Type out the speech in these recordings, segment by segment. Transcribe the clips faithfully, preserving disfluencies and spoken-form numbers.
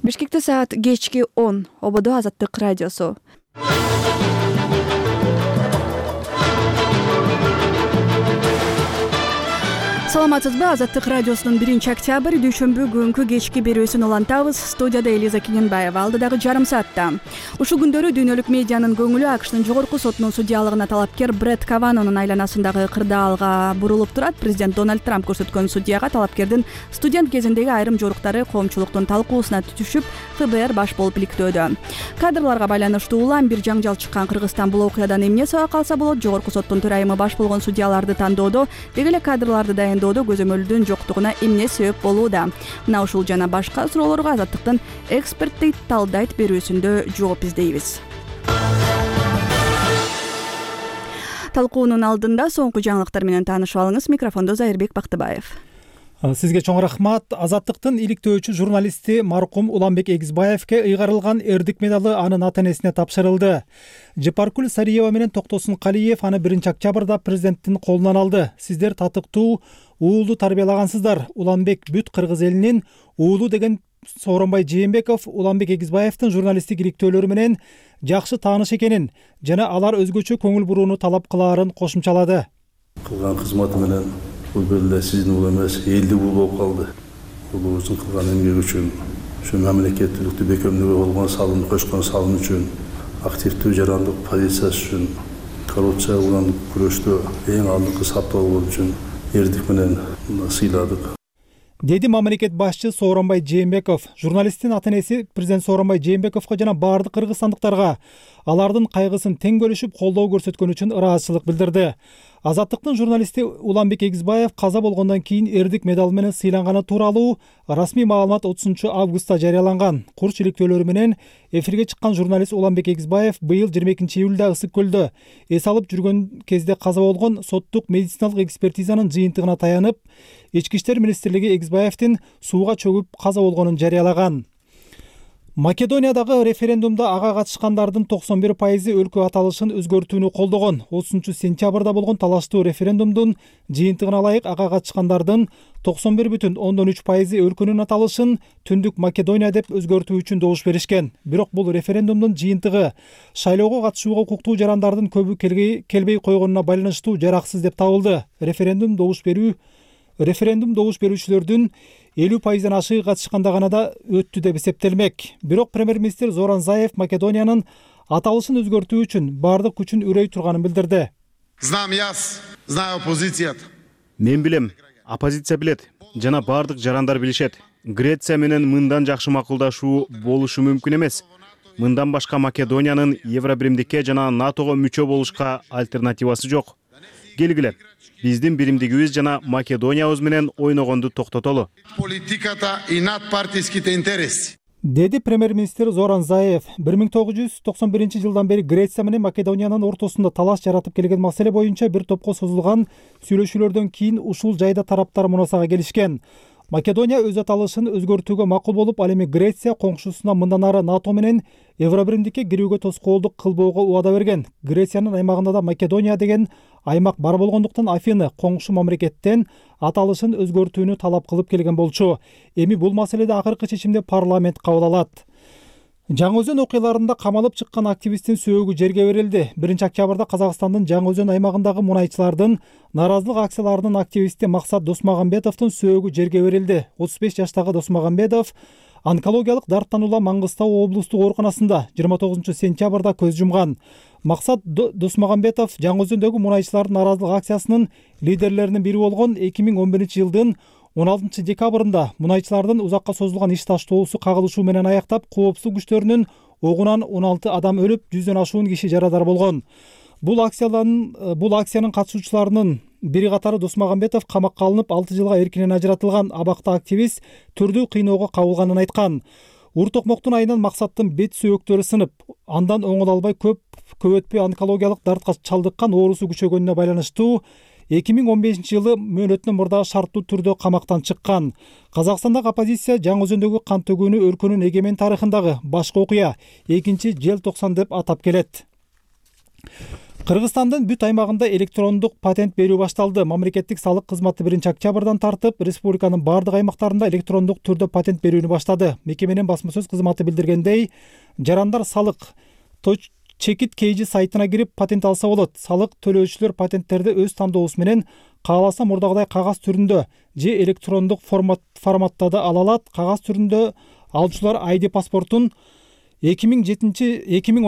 Бишкекте саат кечки он. Ободо Азаттык радиосу. Саламатсызбы? Азаттык радиосунун биринчи октябрь дүйшөмбү күнгү кечки берүүсүн улантабыз. Студияда Элиза Кененбаева. Алдыдагы жарым саатта. Ушул күндөрү дүйнөлүк медианын көңүлү АКШтын жогорку сотунун судьялыгына талапкер Бред Каванонун айланасындагы кырдаалга бурулуп турат. Президент Дональд Трамп көрсөткөн судьяга талапкердин студент кезиндеги айрым жоруктары коомчулуктун талкуусуна түшүп, ФБР баш болуп иликтөөдө. Кадрларга байланыштуу улам бир жаңжал чыккан Кыргызстан бул окуядан эмне сабак алса болот? Жогорку соттун төрайымы баш болгон судьяларды тандоодо, деги эле кадрларды дайындоодо көзөмөлдүн жоктугуна эмне себеп болууда? Мына ушул жана башка суроолорго Азаттыктын эксперттик талдайт берүүсүндө жооп издейбиз. Талкуунун алдында соңку жаңылыктар менен таанышып алыңыз. Микрофондо Зайырбек Бактыбаев. Сизге чоң рахмат. Азаттыктын иликтөөчү журналисти маркум Уланбек Эгизбаевке ыйгарылган эрдик медалы анын ата-энесине тапшырылды. Жапаркүл Сариева менен Токтосун Калиев аны биринчи октябрда президенттин колунан алды. Сиздер татыктуу уулду тарбиялагансыздар. Уланбек бүт кыргыз элинин уулу деген Сооронбай Жээнбеков Уланбек Эгизбаевдин журналисттик иликтөөлөрү менен жакшы тааныш экенин жана алар өзгөчө көңүл бурууну талап кылаарын кошумчалады. Кылган кызматы менен бул бир сиздин уулу эмес, элдик уулу болуп калды. Уулубуздун кылган эмгеги үчүн, ушу мамлекеттүүлүктү бекемдөөгө болгон салымды кошкон салым үчүн, активдүү жарандык позициясы үчүн, коррупция менен күрөштө эң алдыңкы сапта болгон үчүн эрдик менен сыйладык. Деди мамлекет башчы Сооронбай Жээнбеков. Журналисттин ата-энеси президент Сооронбай Жээнбековго жана бардык кыргызстандыктарга алардын кайгысын тең бөлүшүп колдоо көрсөткөн үчүн ыраазычылык билдирди. Азаттыктын журналисти Уланбек Эгизбаев каза болгондон кийин эрдик медалы менен сыйланганы тууралуу расмий маалымат отузунчу августта жарыяланган. Курч иликтөөлөрү менен эфирге чыккан журналист Уланбек Эгизбаев быйыл жыйырма экинчи июлда Ысык көлдө эс алып жүргөн кезде каза болгон соттук медициналык экспертизанын жыйынтыгына таянып, Ички иштер министрлиги Эгизбаевдин сууга чөгүп каза болгонун жарыялаган. Македониядагы референдумда ага катышкандардын токсон бир пайызы өлкө аталышын өзгөртүүнү колдогон. отузунчу сентябрда болгон талаштуу референдумдун жыйынтыгына ылайык ага катышкандардын токсон бир бүтүн ондон үч пайызы өлкөнүн аталышын Түндүк Македония деп өзгөртүү үчүн добуш беришкен. Бирок бул референдумдун жыйынтыгы шайлоого катышууга укуктуу жарандардын көбү келбей койгонуна байланыштуу жараксыз деп табылды. Референдум добуш берүү Референдум добуш берүүчүлөрдүн элүү пайыздан ашыгы катышканда гана да өттү деп эсептелмек. Бирок премьер-министр Зоран Заев Македониянын аталышын өзгөртүү үчүн бардык күчүн үрөй турганын билдирди. Знам јас, знаю оппозицијата. Мен билем, оппозиция билет, жана бардык жарандар билишет. Греция менен мындан жакшы макулдашуу болушу мүмкүн эмес. Мындан башка Македониянын Евробиримдикке жана НАТОго мүчө болушка альтернативасы жок. Келгиле, биздин биримдигибиз жана Македониябыз менен ойногонду токтотолу. Политиката и надпартиските интереси. Деди премьер-министр Зоран Заев. бир миң тогуз жүз токсон биринчи жылдан бери Греция менен Македониянын ортосунда талаш жаратып келген маселе боюнча бир топко созулган сүйлөшүүлөрдөн кийин ушул жайда тараптар мунасага келишкен. Македония өз аталышын өзгөртүүгө макул болуп, ал эми Греция коңшусуна мындан ары НАТО менен Евробиримдикке кирүүгө тоскоолдук кылбоого убада берген. Грециянын аймагында да Македония деген аймак бар болгондуктан Афины коңшу мамлекеттен аталышын өзгөртүүнү талап кылып келген болчу. Эми бул маселеде акыркы чечимди парламент кабыл алат. Жаңы Өзөн окуяларында камалып чыккан активисттин сөөгү жерге берилди. биринчи октябрда Казакстандын Жаңы Өзөн аймагындагы мунайчылардын наразылык акцияларынын активисти Максат Досмагамбетовдун сөөгү жерге берилди. отуз беш жаштагы Досмагамбетов онкологиялык дарттан улам Маңгыстау облустук ооруканасында жыйырма тогузунчу сентябрда көз жумган. Максат Досмагамбетов Жаңы Өзөндөгү мунайчылардын наразылык акциясынын лидерлеринин бири болгон эки миң он биринчи жылдын он алтынчы декабрында мунайчылардын узакка созулган иш таштоосу кагылышуу менен аяктап, коопсуздук күчтөрүнүн огунан он алты адам өлүп, жүздөн ашуун киши жарадар болгон. Бул акциянын бул акциянын катышуучуларынын бири катары Досмагамбетов камакка алынып, алты жылга эркинен ажыратылган. Абакта активист түрдүү кыйноого кабылганын айткан. Ур-токмоктун айынан Максаттын бет сөөктөрү сынып, андан оңоло албай көп көп өтпөй онкологиялык дартка чалдыккан, оорусу күчөгөнүнө байланыштуу эки миң он бешинчи жылы мөөнөтүнөн мурда шарттуу түрдө камактан чыккан. Казакстандагы оппозиция Жаңы Өзөндөгү кан төгүүнү өлкөнүн эгемен тарыхындагы башкы окуя, экинчи желтоқсан деп атап келет. Кыргызстандын бүт аймагында электрондук патент берүү башталды. Мамлекеттик салык кызматы биринчи октябрдан тартып, республиканын бардык аймактарында электрондук түрдө патент берүүнү баштады. Мекеменин басма сөз кызматы билдиргендей, жарандар салык чекит кейжи сайтына кирип патент алса болот. Салык төлөөчүлөр патенттерди өз тандоосу менен кааласа мурдагыдай кагаз түрүндө же электрондук формат форматта да ала алат. Кагаз түрүндө алуучулар ай ди паспортун эки миң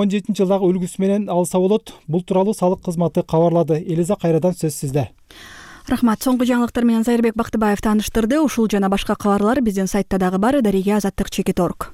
он жетинчи жылдагы үлгүсү менен алса болот. Бул тууралуу салык кызматы кабарлады. Элиза Кайрадан сөз сизде. Рахмат. Соңку жаңылыктар менен Зайырбек Бактыбаев тааныштырды. Ушул жана башка кабарлар биздин сайтта дагы бар. Дарига Азаттык чекит точка орг.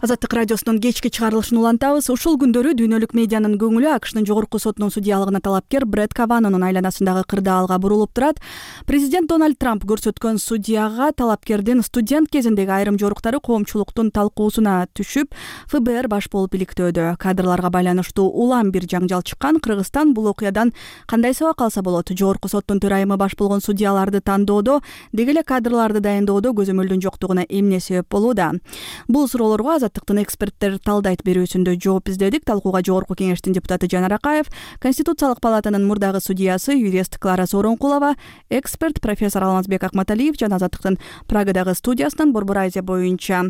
Азаттык радиосунун кечки чыгарылышын улантабыз. Ушул күндөрү дүйнөлүк медианын көңүлү АКШнын жогорку сотунун судьялыгына талапкер Бред Каванонун айланасындагы кырдаалга бурулуп турат. Президент Дональд Трамп көрсөткөн судьяга талапкердин студент кезиндеги айрым жоруктары коомчулуктун талкуусуна түшүп, эф бэ эр баш болуп иликтөөдө. Кадрларга байланыштуу улам бир жаңжал чыккан. Кыргызстан бул окуядан кандай сабак алса болот? Жогорку соттун төрайымы баш болгон судьяларды тандоодо, деги эле кадрларды дайындоодо көзөмөлдүн жоктугуна эмне себеп болууда? Бул суроолорго Азаттыктын эксперттер талдайт берүүсүндө жооп издедик. Талкууга Жогорку кеңештин депутаты Жанар Акаев, Конституциялык палатанын мурдагы судьясы юрист Клара Сооронкулова, эксперт профессор Алмазбек Акматалиев жана Азаттыктын Прагадагы студиясынын Борбор Азия боюнча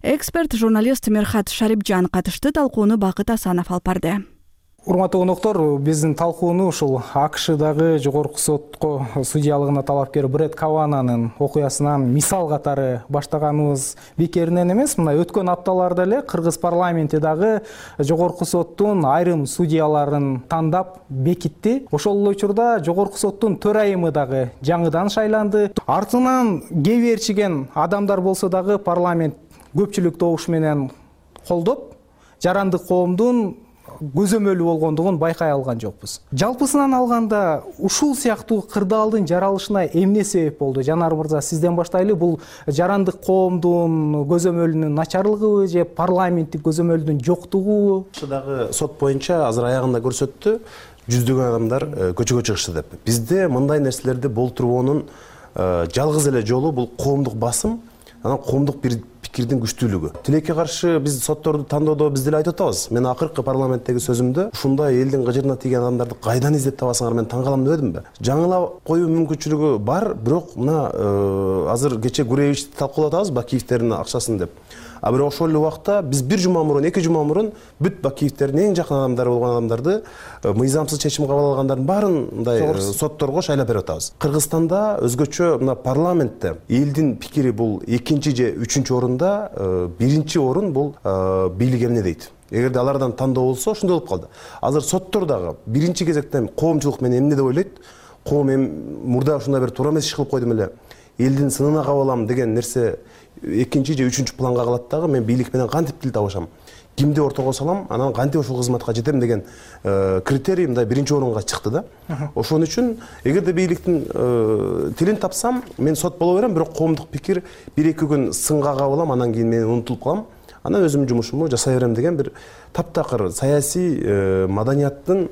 эксперт журналист Мерхат Шарипжан катышты. Талкууну Бакыт Асанов алып барды. Урматтуу коноктору, биздин талкууну ушул АКШдагы жогорку сотко судьялыгына талапкер Бред Каванонун окуясынан мисал катары баштаганыбыз бекеринен эмес. Мына өткөн апталарда эле Кыргыз парламенти дагы жогорку соттун айрым судьяларын тандап бекитти. Ошол эле учурда жогорку соттун төрайымы дагы жаңыдан шайланды. Артынан кээ берчиген адамдар болсо дагы парламент көпчүлүк добуш менен колдоп, жарандык коомдун көзөмөлү болгондугун байкай алган жокпуз. Жалпысынан алганда ушул сыяктуу кырдаалдын жаралышына эмне себеп болду? Жанар мырза, сизден баштайлы. Бул жарандык коомдун көзөмөлүнүн начарлыгыбы же парламенттик көзөмөлдүн жоктугубу? Дагы сот боюнча азыр аягында көрсөттү, жүздөгөн адамдар көчөгө чыгышты деп. Бизде мындай нерселерди болтурбоонун жалгыз эле жолу бул коомдук басым, анан коомдук бир пикирдин күчтүүлүгү. Тилекке каршы биз сотторду тандоодо биз деле айтып атабыз. Мен акыркы парламенттеги сөзүмдө ушундай элдин кыжырына тийген адамдарды кайдан издеп табасыңар, мен таң калам дебедимби? Жаңылап коюу мүмкүнчүлүгү бар, бирок мына азыр кече Гуревичти талкуулап атабыз, Бакиевтердин акчасын деп. А бирок ошол эле убакта биз бир жума мурун, эки жума мурун бүт Бакиевтердин эң жакын адамдары болгон адамдарды мыйзамсыз чечим кабыл алгандардын баарын мындай сотторго шайлап берип атабыз. Кыргызстанда өзгөчө мына парламентте элдин пикири бул экинчи же үчүнчү орунда, биринчи орун бул бийлик эмне дейт. Эгерде алардан тандоо болсо ошондой болуп калды. Азыр соттор дагы биринчи кезекте коомчулук менен эмне деп ойлойт? Коом эми мурда ушундай бир туура эмес иш кылып койдум эле. Элдин сынына кабылам деген нерсе экинчи же үчүнчү планга калат дагы. Мен бийлик менен кантип тил табышам, кимди ортого салам, анан кантип ошол кызматка жетем деген критерий мындай биринчи орунга чыкты да. Ошон үчүн эгерде бийликтин тилин тапсам, мен сот боло берем, бирок коомдук пикир бир эки күн сынга кабылам, анан кийин мен унутулуп калам. Анан өзүмдүн жумушумду жасай берем деген бир таптакыр саясий маданияттын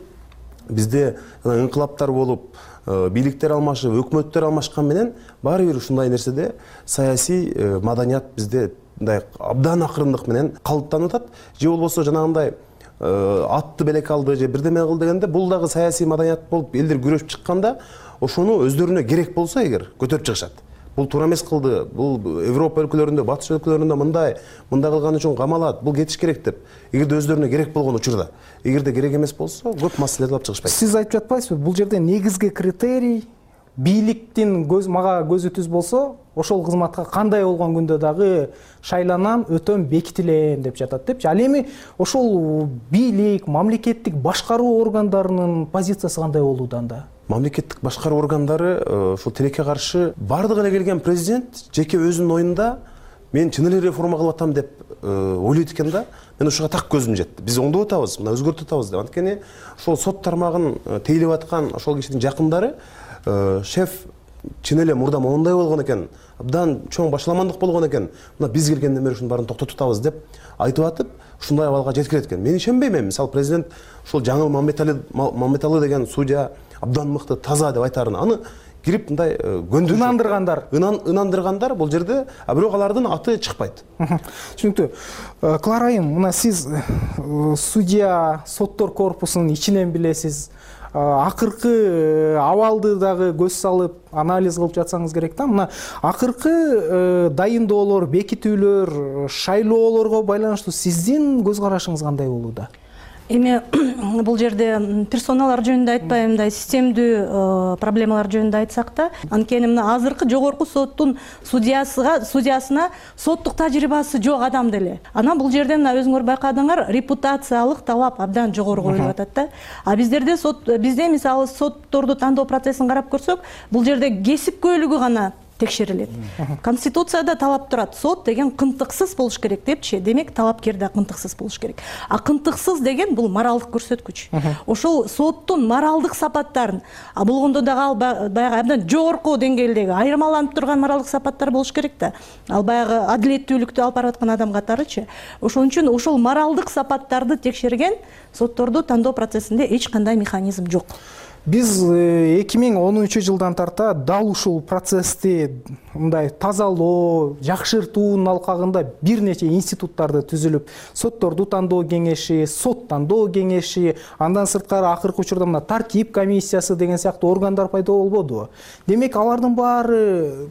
бизде инкылаптар болуп, бийликтер алмашып, өкмөттөр алмашкан менен баары бир ушундай нерседе саясий маданият бизде мындай абдан акырындык менен калыптанып атат. Же болбосо жанагындай атты белек алды же бирдеме кыл дегенде, бул дагы саясий маданият болуп элдер күрөшүп чыкканда ошону өздөрүнө керек болсо эгер көтөрүп чыгышат. Бул туура эмес кылды, бул Европа өлкөлөрүндө, батыш өлкөлөрүндө мындай, мындай кылган үчүн камалат, бул кетиш керек деп. Эгерде өздөрүнө керек болгон учурда, эгерде керек эмес болсо, көп маселелерди алып чыгышпайт. Сиз айтып жатпайсызбы? Бул жерде негизги критерий бийликтин көз мага көзү түз болсо, ошол кызматка кандай болгон күндө дагы шайланам, өтөм, бекитилем деп жатат депчи. Ал эми ошол бийлик, мамлекеттик башкаруу органдарынын позициясы кандай болууда анда? Мамлекеттик башкаруу органдары ушул тилекке каршы бардыгы эле келген президент жеке өзүнүн оюнда мен чын эле реформа кылып атам деп ойлойт экен да. Мен ушуга так көзүм жетти. Биз оңдоп атабыз, мына өзгөртүп атабыз деп. Анткени ошол сот тармагын тейлеп аткан ошол кишинин жакындары шеф чын эле мурда моундай болгон экен, абдан чоң башаламандык болгон экен. Мына биз келгенден бери ушунун баарын токтотуп атабыз деп айтып атып, ушундай абалга жеткирет экен. Мен ишенбейм эми. Мисалы президент ушул Жаңыл Мамметали Мамметалы деген судья абдан мыкты, таза деп айтарын. Аны кирип мындай көндүрүп ынандыргандар ынандыргандар бул жерде, а бирок алардын аты чыкпайт. Түшүнүктүү. Клара айым, мына сиз судья, соттор корпусунун ичинен билесиз. Акыркы абалды дагы көз салып анализ кылып жатсаңыз керек да. Мына акыркы дайындоолор, бекитүүлөр, шайлоолорго байланыштуу сиздин көз карашыңыз кандай болууда? Эми бул жерде персоналар жөнүндө айтпай, мындай системдүү проблемалар жөнүндө айтсак да, анткени мына азыркы жогорку соттун судьясыга судьясына соттук тажрыйбасы жок адам деле. Анан бул жерде мына өзүңөр байкадыңар, репутациялык талап абдан жогору коюлуп атат да. А биздерде сот бизде мисалы сотторду тандоо процессин карап көрсөк, бул жерде кесипкөйлүгү гана текшерилет. Конституцияда талап турат, сот деген кынтыксыз болуш керек депчи. Демек, талапкер да кынтыксыз болуш керек. А кынтыксыз деген бул моралдык көрсөткүч. Ошол соттун моралдык сапаттарын, а болгондо дагы ал баягы абдан жогорку деңгээлдеги айырмаланып турган моралдык сапаттар болуш керек да. Ал баягы адилеттүүлүктү алып барып аткан адам катарычы. Ошон үчүн ошол моралдык сапаттарды текшерген сотторду тандоо процессинде эч кандай механизм жок. Биз эки миң онунчу жылдан тарта дал ушул процессти мындай тазалоо, жакшыртуунун алкагында бир нече институттарды түзүлүп, сотторду тандоо кеңеши, сот тандоо кеңеши, андан сырткары акыркы учурда мына тартип комиссиясы деген сыяктуу органдар пайда болбодубу? Демек, алардын баары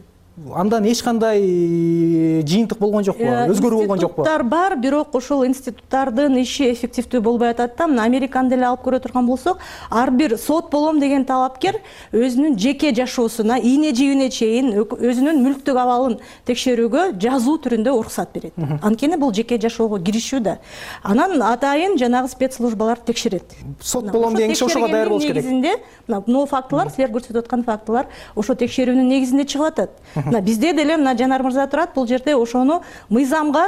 андан эч кандай жыйынтык болгон жокпу, өзгөрүү болгон жокпу? Институттар бар, бирок ошол институттардын иши эффективдүү болбой атат да. Мына Американды эле алып көрө турган болсок, ар бир сот болом деген талапкер өзүнүн жеке жашоосуна, ийне жибине чейин өзүнүн мүлктүк абалын текшерүүгө жазуу түрүндө уруксат берет. Анткени бул жеке жашоого киришүү да. Анан атайын жанагы спецслужбалар текшерет. Сот болом деген киши ошого даяр болуш керек. Негизинде, мына фактылар, силер көрсөтүп аткан фактылар ошо текшерүүнүн негизинде чыгып атат. Мына бизде деле мына Жанар мырза турат, бул жерде ошону мыйзамга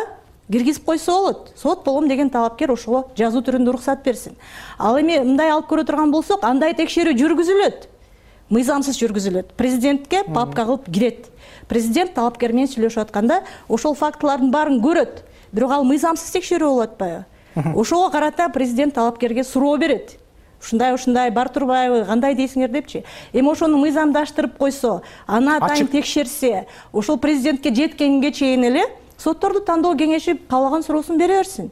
киргизип койсо болот. Сот болом деген талапкер ошого жазуу түрүндө уруксат берсин. Ал эми мындай алып көрө турган болсок, андай текшерүү жүргүзүлөт. Мыйзамсыз жүргүзүлөт. Президентке папка кылып кирет. Президент талапкер менен сүйлөшүп атканда ошол фактылардын баарын көрөт. Бирок ал мыйзамсыз текшерүү болуп атпайбы? Ошого карата президент талапкерге суроо берет. Ушундай ушундай бар турбайбы, кандай дейсиңер депчи. Эми ошону мыйзамдаштырып койсо, аны атайын текшерсе, ошол президентке жеткенге чейин эле сотторду тандоо кеңеши каалаган суроосун бере берсин.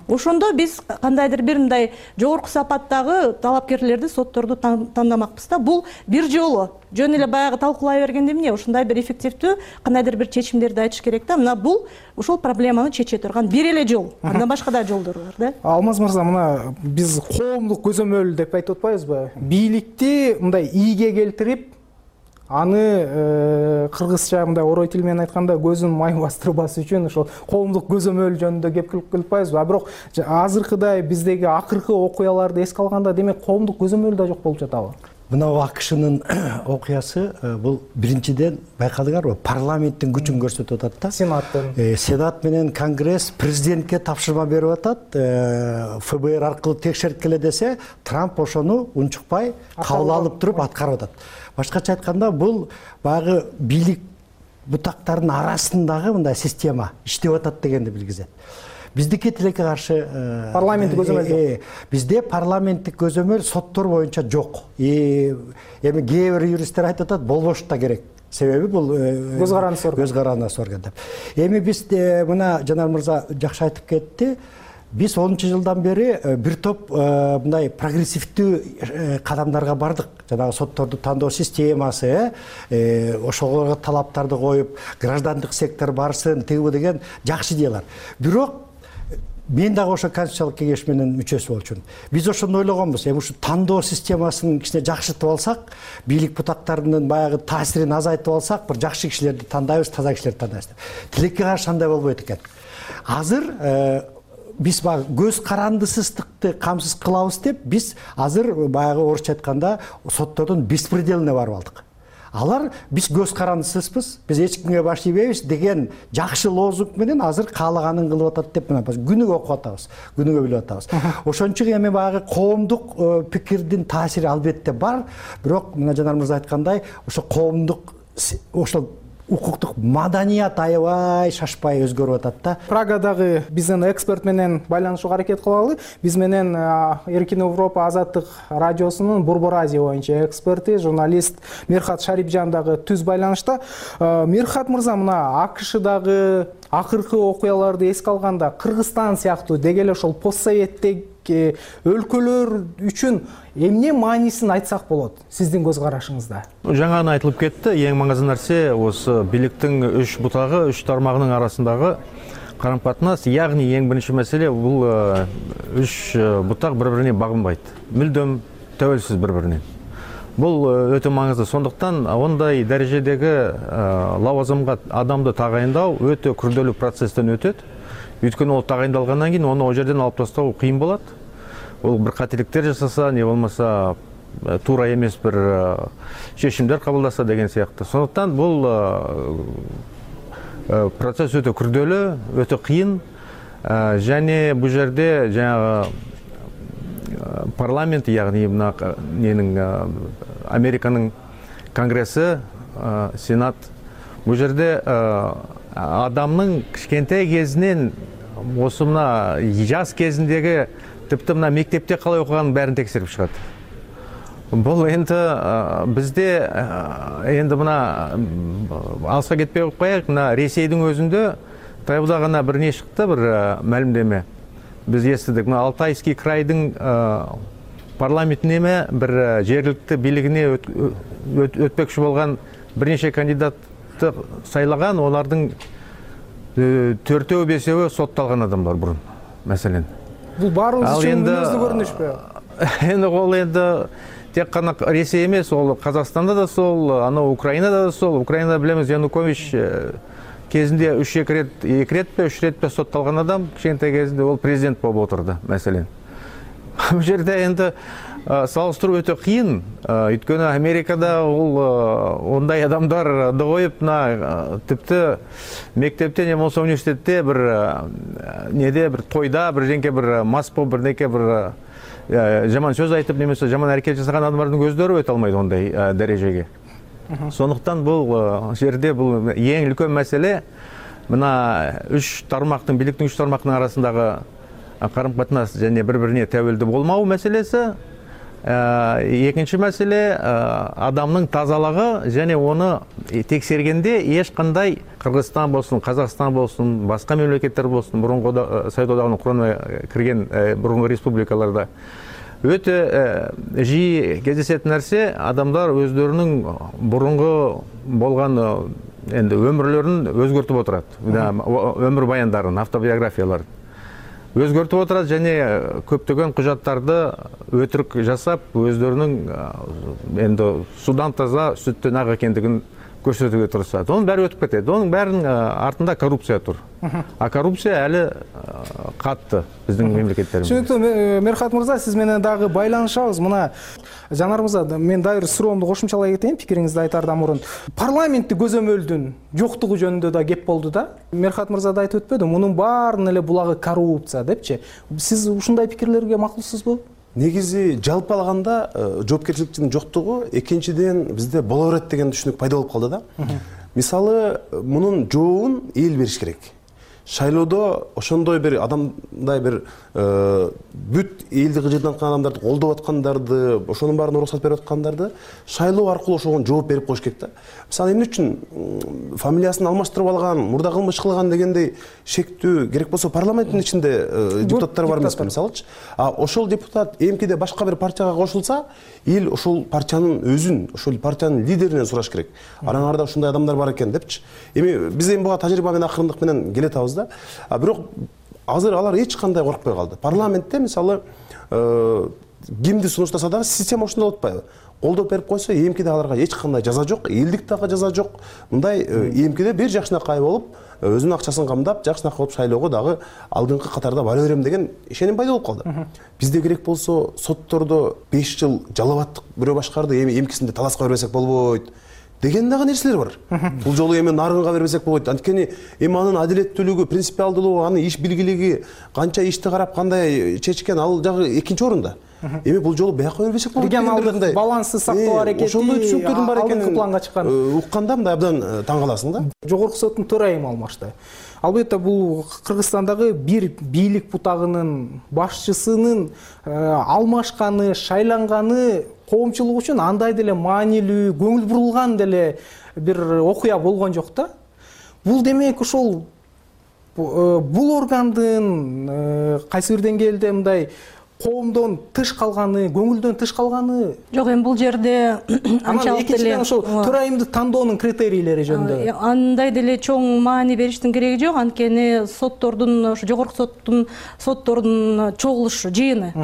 Ошондо биз кандайдыр бир мындай жогорку сапаттагы талапкерлерди сотторду тандамакпыз да. Бул бир жолу жөн эле баягы талкуулай бергенде эмне, ушундай бир эффективдүү кандайдыр бир чечимдерди айтыш керек да. Мына бул ошол проблеманы чече турган бир эле жол. Андан башка да жолдор бар да. Алмаз мырза, мына биз коомдук көзөмөл деп айтып атпайбызбы? Бийликти мындай ийге келтирип, аны кыргызча мындай орой тил менен айтканда көзүн май бастырбас үчүн ошол коомдук көзөмөл жөнүндө кеп кылып атпайбызбы? Бирок азыркыдай биздеги акыркы окуяларды эске алганда, демек коомдук көзөмөл да жок болуп жатабы? Мына АКШнын окуясы бул биринчиден байкадыңарбы, парламенттин күчүн көрсөтүп атат да. Сенаттын. Сенат менен Конгресс президентке тапшырма берип атат, ФБР аркылуу текшерткиле десе, Трамп ошону унчукпай кабыл алып туруп аткарып атат. Башкача айтканда, бул баягы бийлик бутактарынын арасындагы мындай система иштеп атат дегенди билгизет. Биздики тилекке каршы парламенттик көзөмөл жок. Бизде парламенттик көзөмөл соттор боюнча жок. Эми кээ бир юристтер айтып атат, болбош да керек. Себеби бул көз карандысы орган. Көз карандысы орган деп. Эми биз мына Жанар мырза жакшы айтып кетти. Биз онунчу жылдан бери бир топ мындай прогрессивдүү кадамдарга бардык. Жанагы сотторду тандоо системасы, ошого талаптарды коюп, граждандык сектор барсын, тиги деген жакшы идеялар. Бирок мен дагы ошо конституциялык кеңеш менен мүчөсү болчумун. Биз ошону ойлогонбуз. Эми ушу тандоо системасын кичине жакшыртып алсак, бийлик бутактарынын баягы таасирин азайтып алсак, бир жакшы кишилерди тандайбыз, таза кишилерди тандайбыз деп. Тилекке каршы андай болбойт экен. Азыр биз баягы көз карандысыздыкты камсыз кылабыз деп, биз азыр баягы орусча айтканда соттордун беспределине барып алдык. Алар биз көз карандысызбыз, биз эч кимге баш ийбейбиз деген жакшы лозунг менен азыр каалаганын кылып атат деп мына күнүгө окуп атабыз, күнүгө билип атабыз. Ошон үчүн эми баягы коомдук пикирдин таасири албетте бар, бирок мына Жанар мырза айткандай, ошо коомдук ошол укуктук маданият аябай шашпай өзгөрүп атат да. Прагадагы биздин эксперт менен байланышууга аракет кылалы. Биз менен Эркин Европа азаттык радиосунун Борбор Азия боюнча эксперти, журналист Мерхат Шарипжан дагы түз байланышта. Мерхат мырза, мына АКШдагы акыркы окуяларды эске алганда Кыргызстан сыяктуу деги эле ошол постсоветтик өлкөлөр үчүн эмне маанисин айтсак болот сиздин көз карашыңызда? Жаңа айтылып кетти, эң маңызды нерсе осы бийликтин үч бутагы, үч тармагынын арасындагы карым-катнаш, ягни эң биринчи маселе бул үч бутак бири-бирине багынбайт. Мүлдөм төбөлсүз бири-биринен. Бул өтө маңызды. Сондуктан ондай дарежедеги лавазымга адамды тагайындоо өтө күрдөлүү процесстен өтөт. Өйткөнү ол тагайындалгандан кийин аны о жерден алып тастоо кыйын болот. Ол бир кателиктер жасаса, не болмаса туура эмес бир чечимдер кабылдаса деген сыяктуу. Сондуктан бул процесс өтө күрдөлүү, өтө кыйын. Және бул жерде жаңагы парламент, ягни мына ненин Американын конгресси, сенат, бул жерде адамдын кичкентай кезинен осы мына жас кезиндеги типти мына мектепте калай окуганын бәрин текшерип чыгат. Бул энди бизде энди мына алыска кетпей коюп, мына Ресейдин өзүндө таяуда гана бир не чыкты, бир маалимдеме. Биз эстедик, мына Алтайский крайдын парламентине эме бир жергиликтүү бийлигине өтпөкчү болгон бир нече кандидатты сайлаган, олардын төртөө бешөө сотталган адамдар бурун, маселен. Бул баарыбыз үчүн мүнөздүү көрүнүшпү? Энди ол энди тек гана Ресей эмес, ол Казакстанда да сол, ана Украинада да сол. Украинада билебиз, Янукович кезинде үч эки рет, эки ретпи, үч ретпи сотталган адам, кичинекей кезинде ол президент болуп отурду, маселен. Бул жерде энди салыштыруу өтө кыйын. Өйткөнү Америкада ол ондай адамдарды коюп, мына типти мектепте не болсо университетте бир неде бир тойда бир женке бир мас болуп бир неке бир жаман сөз айтып немесе жаман аракет жасаган адамдардын көздөрү өтө алмайт ондай дарежеге. Сондуктан бул жерде бул эң үлкөн маселе мына үч тармактын, бийликтин үч тармактын арасындагы карым-катнаш және бири-бирине төбөлдүү болмоо маселеси. Экинчи маселе адамдын тазалыгы және оны текшергенде эч кандай Кыргызстан болсун, Казакстан болсун, башка мемлекеттер болсун, мурунку Совет одагынын курамына кирген мурунку республикаларда өтө жиі кездесетін нәрсе, адамдар өздерінің бұрынғы болған енді өмірлерін өзгертіп отырады. Өмір баяндарын, автобиографияларын өзгертіп отырады және көптеген құжаттарды өтірік жасап, өздерінің енді судан таза, сүттен ақ екендігін көрсетуге тырысады. Оның бәрі өтіп кетеді. Оның бәрінің артында коррупция тұр. А коррупция әлі қатты біздің мемлекеттерімізде. Түсінікті, Мерхат мырза, сіз менен дағы байланышабыз. Мына Жанар мырза, мен дайыр суроомду кошумчалай кетейин, пикириңизди айтардан мурун. Парламентти көзөмөлдүн жоктугу жөнүндө да кеп болду да. Мерхат мырза да айтып өтпөдү, мунун баарын эле булагы коррупция депчи. Сиз ушундай пикирлерге макулсузбу? Негизи жалпы алганда жоопкерчиликтин жоктугу, экинчиден бизде боло берет деген түшүнүк пайда болуп калды да. Мисалы, мунун жообун эл бериш керек. Шайлоодо ошондой бир адамдай бир бүт элди кыжырданткан адамдарды колдоп аткандарды, ошонун баарын уруксат берип аткандарды шайлоо аркылуу ошого жооп берип коюш керек да. Мисалы, эмне үчүн фамилиясын алмаштырып алган, мурда кылмыш кылган дегендей шектүү керек болсо парламенттин ичинде депутаттар бар эмеспи, мисалычы. А ошол депутат эмкиде башка бир партияга кошулса, эл ошол партиянын өзүн, ошол партиянын лидеринен сураш керек. Араңарда ушундай адамдар бар экен депчи. Эми биз эми буга тажрыйба менен акырындык менен келе атабыз да. А бирок азыр алар эч кандай коркпой калды. Парламентте мисалы кимди сунуштаса дагы система ушундай болуп атпайбы? Колдоп берип койсо, эмкиде аларга эч кандай жаза жок, элдик дагы жаза жок. Мындай эмкиде бир жакшынакай болуп, өзүнүн акчасын камдап, жакшынакай болуп шайлоого дагы алдыңкы катарда бара берем деген ишеним пайда болуп калды. Бизде керек болсо соттордо беш жыл жалап аттык, бирөө башкарды, эми эмкисинде таласка бербесек болбойт деген дагы нерселер бар. Бул жолу эми нарынга бербесек болбойт. Анткени эми анын адилеттүүлүгү, принципиалдуулугу, анын иш билгилиги, канча ишти карап кандай чечкен, ал жагы экинчи орунда. эми бул жолу бияка бербесек болот. Регионалдык балансты сактоо аракети ошондой түшүнүктөрдүн бар экенин алдыңкы планга чыккан. Укканда мындай абдан таң каласың да. Жогорку соттун төрайымы алмашты. Албетте бул Кыргызстандагы бир бийлик бутагынын башчысынын алмашканы, шайланганы коомчулук үчүн андай деле маанилүү, көңүл бурулган деле бир окуя болгон жок да. Бул демек ошол бул органдын кайсы бир деңгээлде мындай коомдон тыш калганы, көңүлдөн тыш калганы жок. Эми бул жерде анчалык деле ошол төрайымды тандоонун критерийлери жөнүндө андай деле чоң маани бериштин кереги жок. Анткени соттордун, ошо жогорку соттун соттордун чогулушу, жыйыны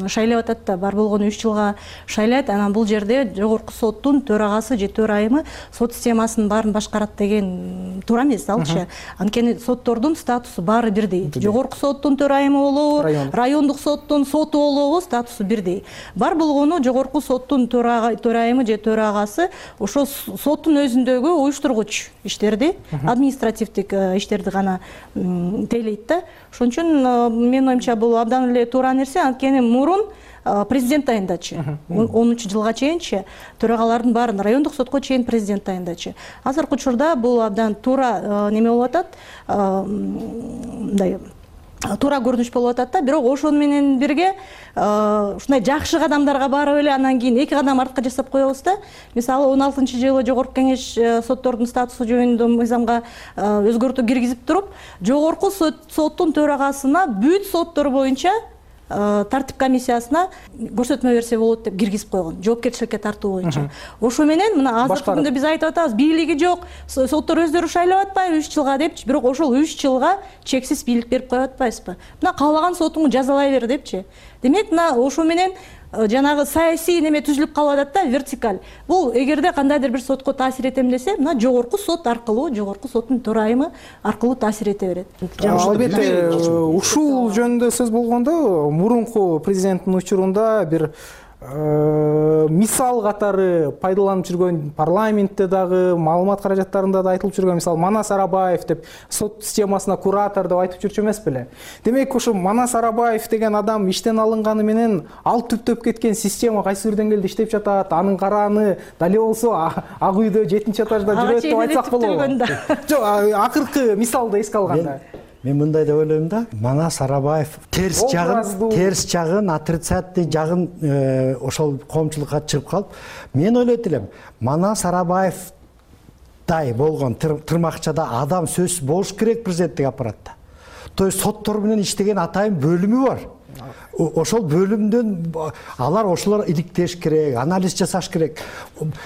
шайлап атат да, бар болгону үч жылга шайлайт. Анан бул жерде жогорку соттун төрагасы же төрайымы сот системасынын баарын башкарат деген туура эмес алчы. Анткени соттордун статусу баары бирдей. Жогорку соттун төрайымы болобу, райондук соттун сот болобу статусу бирдей. Бар болгону жогорку соттун төрайымы же төрагасы ошо соттун өзүндөгү уюштургуч иштерди, административдик иштерди гана тейлейт да. Ошон үчүн менин оюмча бул абдан эле туура нерсе. Анткени мурун президент тайындачы. онунчу жылга чейинчи төрагалардын баарын райондук сотко чейин президент тайындачы. Азыркы учурда бул абдан туура неме болуп атат. Мындай туура көрүнүш болуп атат да. Бирок ошону менен бирге ушундай жакшы кадамдарга барып эле анан кийин эки кадам артка жасап коебуз да. Мисалы он алтынчы жылы жогорку кеңеш соттордун статусу жөнүндө мыйзамга өзгөртүү киргизип туруп, жогорку соттун төрагасына бүт соттор боюнча тартип комиссиясына көрсөтмө берсе болот деп киргизип койгон, жоопкерчиликке тартуу боюнча. Ошо менен мына азыркы күндө биз айтып атабыз, бийлиги жок, соттор өздөрү шайлап атпайбы үч жылга депчи. Бирок ошол үч жылга чексиз бийлик берип коюп атпайбызбы? Мына каалаган сотуңду жазалай бер депчи. Демек мына ошо менен жанагы саясий неме түзүлүп калып атат да, вертикаль. Бул эгерде кандайдыр бир сотко таасир этем десе, мына жогорку сот аркылуу, жогорку соттун төрайымы аркылуу таасир эте берет. Албетте ушул жөнүндө сөз болгондо, мурунку президенттин учурунда бир мисал катары пайдаланып жүргөн, парламентте дагы, маалымат каражаттарында да айтылып жүргөн, мисалы Манас Арабаев деп сот системасына куратор деп айтып жүрчү эмес беле? Демек ошо Манас Арабаев деген адам иштен алынганы менен ал түптөп кеткен система кайсы бир деңгээлде иштеп жатат, анын карааны дале болсо ак үйдө жетинчи этажда жүрөт деп айтсак болобу? Жок, акыркы мисалды эске алганда. Мен мындай деп ойлойм да, Манас Арабаев терс жагын, терс жагын, отрицательный жагын ошол коомчулукка чыгып калып, мен ойлойт элем, Манас Арабаевдай болгон тырмакчада адам сөз болуш керек президенттик аппаратта. То есть соттор менен иштеген атайын бөлүмү бар. Ошол бөлүмдөн алар ошолор иликтеш керек, анализ жасаш керек.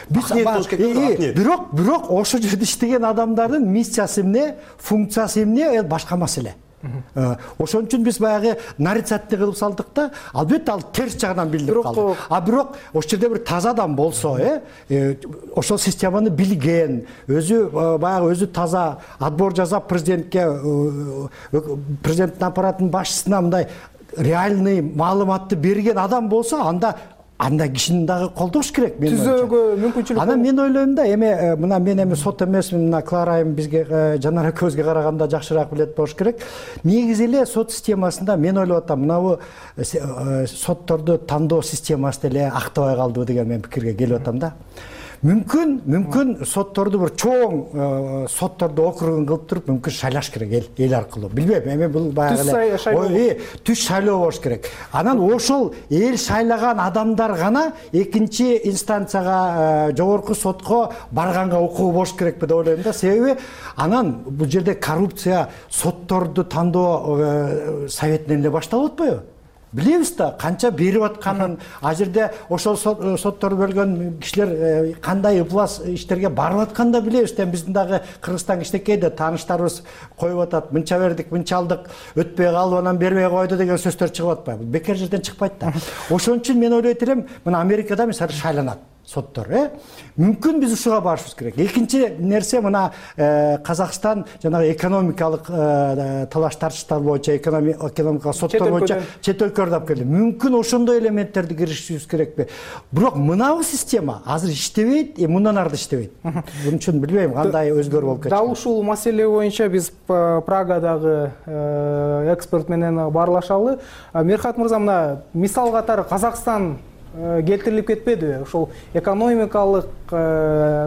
Бирок, бирок ошол жерде иштеген адамдардын миссиясы эмне, функциясы эмне, башка маселе. Ошон үчүн биз баягы нарицательный кылып салдык да, албетте ал терс жагынан билинип калды. А бирок ошол жерде бир таза адам болсо, э, ошол системаны билген, өзү баягы өзү таза отбор жасап президентке, президенттин аппаратынын башчысына мындай реальный маалыматты берген адам болсо, анда андай кишини дагы колдош керек. Түзөөгө мүмкүнчүлүк. Анан мен ойлойм да, эми мына мен эми сот эмесмин, мына Клара айым бизге Жанар экөөбүзгө караганда жакшыраак билет болуш керек. Негизи эле сот системасында мен ойлоп атам, мына бу сотторду тандоо системасы деле актабай калдыбы деген мен пикирге келип атам да. Мүмкүн, мүмкүн сотторду бир чоң сотторду округун кылып туруп, мүмкүн шайлаш керек эл, эл аркылуу. Билбейм, эми бул баягы эле түз шайлоо болуш керек. Анан ошол эл шайлаган адамдар гана экинчи инстанцияга, жогорку сотко барганга укугу болуш керекпи деп ойлойм да. Себеби анан бул жерде коррупция сотторду тандоо советинен эле башталып атпайбы? Билебиз да, канча берип атканын, а жерде ошол соттор бөлгөн кишилер кандай ыплас иштерге барып атканын да билебиз да. Биздин дагы Кыргызстан кичинекей да, тааныштарыбыз коюп атат, мынча бердик, мынча алдык, өтпөй калып, анан бербей койду деген сөздөр чыгып атпайбы? Бекер жерден чыкпайт да. Ошон үчүн мен ойлойт элем, мына Америкада мисалы шайланат. соттор. Э? Мүмкүн биз ушуга барышыбыз керек. Экинчи нерсе мына Казакстан жанагы экономикалык талаш тартыштар боюнча экономикалык соттор боюнча чет өлкөлөрдө алып келди. Мүмкүн ошондой элементтерди киргизишибиз керекпи? Бирок мынабу система азыр иштебейт, мындан ары да иштебейт. Буның үчүн билбейм кандай өзгөрүү болуп кетти. Дал ушул маселе боюнча биз Прагадагы эксперт менен баарлашалы. Мерхат мырза, мына мисал катары Казакстан келтирилип кетпедиби? Ошол экономикалык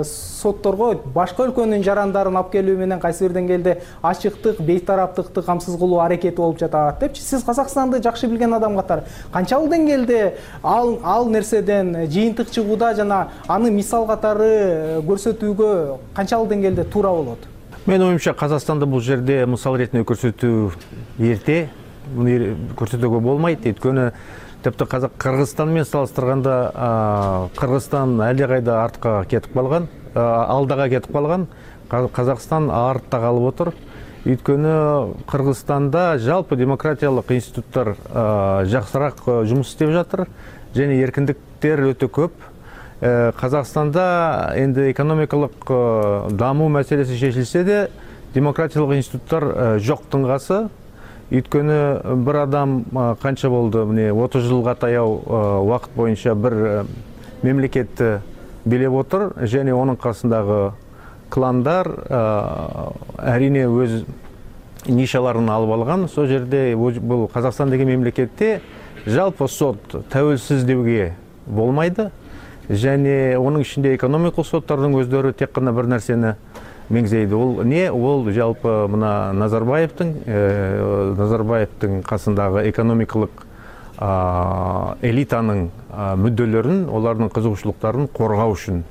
сотторго башка өлкөнүн жарандарын алып келүү менен кайсы бир деңгээлде ачыктык, бейтараптыкты камсыз кылуу аракети болуп жатат депчи. Сиз Казакстанды жакшы билген адам катары канчалык деңгээлде ал ал нерседен жыйынтык чыгууда жана аны мисал катары көрсөтүүгө канчалык деңгээлде туура болот? Менин оюмча, Казакстанды бул жерде мисал иретинде көрсөтүү эрте. Муну көрсөтүүгө болмойт. Өйткөнү тіпті Кыргызстанмен салыштырганда Кыргызстан әлде кайда артка кетип калган, алдага кетип калган. Казакстан артта калып отур. Өйткөнү Кыргызстанда жалпы демократиялык институттар жакшыраак жумуш иштеп жатыр және эркиндиктер өтө көп. Казакстанда энди экономикалык дамуу маселеси чечилсе де демократиялык институттар жок тыңгасы. Өйткөнү бир адам канча болду, міне отуз жылга таяу убакыт боюнча бир мемлекетти билеп отур және онун касындагы кландар әрине өз нишаларын алып алган. Сол жерде бул Казакстан деген мемлекетте жалпы сот тәуелсиз деуге болмайды. Және оның ішінде экономикалык соттардың өздері тек қана бір нәрсені меңзейді. Ол не? Ол жалпы мына Назарбаевтың Назарбаевтың қасындағы экономикалык элитаның мүдделерін, олардың қызығушылықтарын қорғау үшін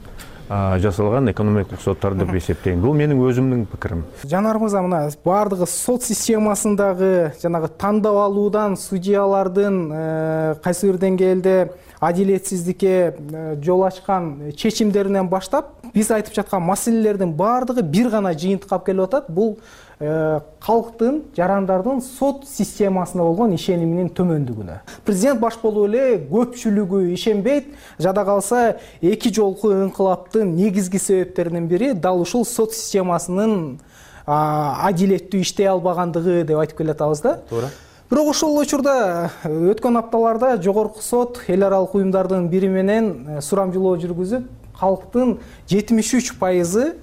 жасалған экономикалык соттар деп есептеймін. Бұл менің өзімнің пікірім. Жанар мырза, мына бардығы сот системасындағы жанагы тандап алуудан судьялардын кайсы бир деңгээлде адилетсиздикке жол ачкан чечимдеринен баштап биз айтып жаткан маселелердин бардыгы бир гана жыйынтыкка алып келип атат. Бул калктын, жарандардын сот системасына болгон ишениминин төмөндүгүнө. Президент баш болуп эле көпчүлүгү ишенбейт. Жада калса эки жолку инкылаптын негизги себептеринин бири дал ушул сот системасынын адилеттүү иштей албагандыгы деп айтып келатабыз да. Туура. Бирок ошол учурда өткөн апталарда жогорку сот эл аралык уюмдардын бири менен сурамжылоо жүргүзүп, калктын жетимиш үч пайызы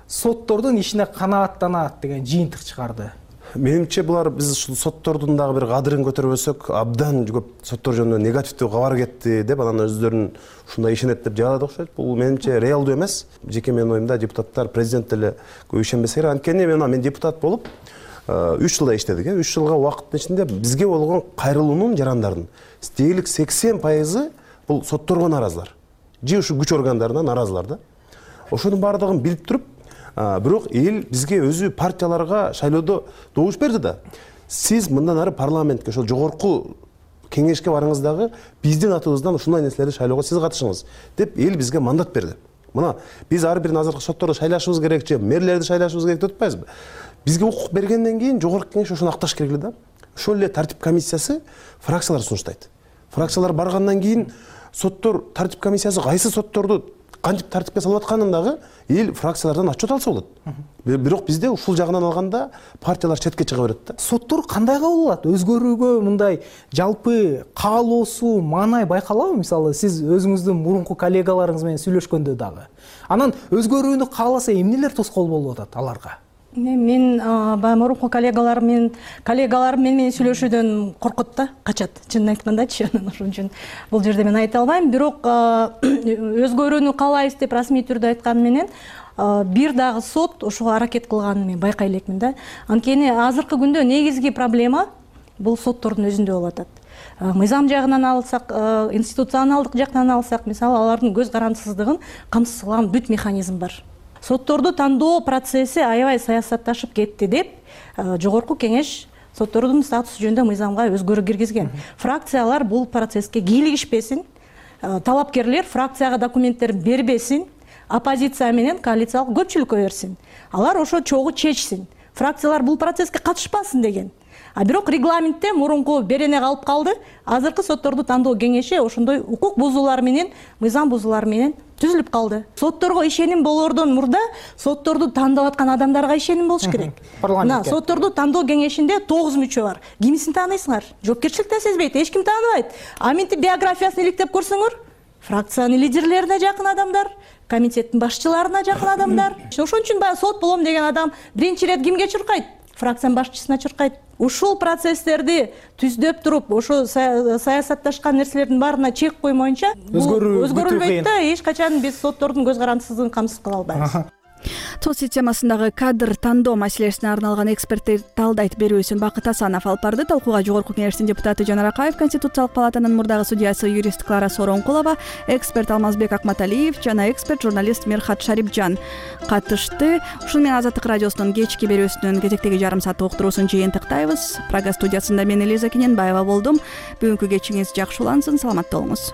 соттордун ишине канааттанат деген жыйынтык чыгарды. Менимче булар биз ушул соттордун дагы бир кадырын көтөрбөсөк, абдан көп соттор жөнүндө негативдүү кабар кетти деп, анан өздөрүн ушундай ишенет деп жагат окшойт. Бул менимче реалдуу эмес. Жеке менин оюмда депутаттар, президент деле көп ишенбесе керек. Анткени мен мен депутат болуп үч жылда иштедик. үч жылга убакыттын ичинде бизге болгон кайрылуунун жарандардын дээрлик сексен пайызы бул сотторго наразылар. Же ушу күч органдарына наразылар да. Ошонун баардыгын билип туруп, бирок эл бизге өзү партияларга шайлоодо добуш берди да. Сиз мындан ары парламентке, ошол жогорку кеңешке барыңыз дагы биздин атыбыздан ушундай нерселерди шайлоого сиз катышыңыз деп эл бизге мандат берди. Мына биз ар бир азыркы сотторду шайлашыбыз керек же мэрлерди шайлашыбыз керек деп атпайбызбы? Бизге укук бергенден кийин жогорку кеңеш ошону акташ керек эле да. Ошол эле тартип комиссиясы фракциялар сунуштайт. Фракциялар баргандан кийин соттор тартип комиссиясы кайсы сотторду кантип тартипке салып атканын дагы эл фракциялардан отчет алса болот. Бирок бизде ушул жагынан алганда партиялар четке чыга берет да. Соттор кандай кабыл алат? Өзгөрүүгө мындай жалпы каалоосу, маанай байкалабы? Мисалы, сиз өзүңүздүн мурунку коллегаларыңыз менен сүйлөшкөндө дагы. Анан өзгөрүүнү кааласа эмнелер тоскоол болуп атат аларга? Мен баягы мурунку коллегаларым менен коллегаларым менен сүйлөшүүдөн коркот да, качат. Чынын айткандачы, ошон үчүн бул жерде мен айта албайм. Бирок өзгөрүүнү каалайбыз деп расмий түрдө айткан менен бир дагы сот ошого аракет кылганын мен байкай элекмин да. Анткени азыркы күндө негизги проблема бул соттордун өзүндө болуп атат. Мыйзам жагынан алсак, институционалдык жактан алсак, мисалы алардын көз карандысыздыгын камсыз кылган бүт механизм бар. Сотторду тандоо процесси аябай саясатташып кетти деп жогорку кеңеш соттордун статусу жөнүндө мыйзамга өзгөрүү киргизген. Фракциялар бул процесске кийлигишпесин, талапкерлер фракцияга документтерин бербесин, оппозиция менен коалициялык көпчүлүккө берсин. Алар ошо чогуу чечсин. Фракциялар бул процесске катышпасын деген. А бирок регламентте мурунку берене калып калды. Азыркы сотторду тандоо кеңеши ошондой укук бузуулар менен, мыйзам бузуулар менен түзүлүп калды. Сотторго ишеним болоордон мурда сотторду тандап аткан адамдарга ишеним болуш керек. Мына сотторду тандоо кеңешинде тогуз мүчө бар. Кимисин тааныйсыңар? Жоопкерчилик да сезбейт, эч ким тааныбайт. А минтип биографиясын иликтеп көрсөңөр, фракциянын лидерлерине жакын адамдар, комитеттин башчыларына жакын адамдар. Ошон үчүн баягы сот болом деген адам биринчи ирет кимге чуркайт? Фракциянын башчысына чуркайт. Ушул процесстерди түздөп туруп, ошо саясатташкан нерселердин баарына чек коймоюнча өзгөрүлбөйт да, эч качан биз соттордун көз карандысыздыгын камсыз кыла албайбыз. Сот системасындагы кадр тандоо маселесине арналган эксперттер талдайт берүүсүн Бакыт Асанов алып барды. Талкууга Жогорку Кеңештин депутаты Жанар Акаев, Конституциялык палатанын мурдагы судьясы юрист Клара Соронкулова, эксперт Алмазбек Акматалиев жана эксперт журналист Мерхат Шарипжан катышты. Ушуну менен Азаттык радиосунун кечки берүүсүнүн кезектеги жарым сааттык уктуруусун жыйынтыктайбыз. Прага студиясында мен Элиза Кененбаева болдум. Бүгүнкү кечиңиз жакшы улансын, саламатта болуңуз.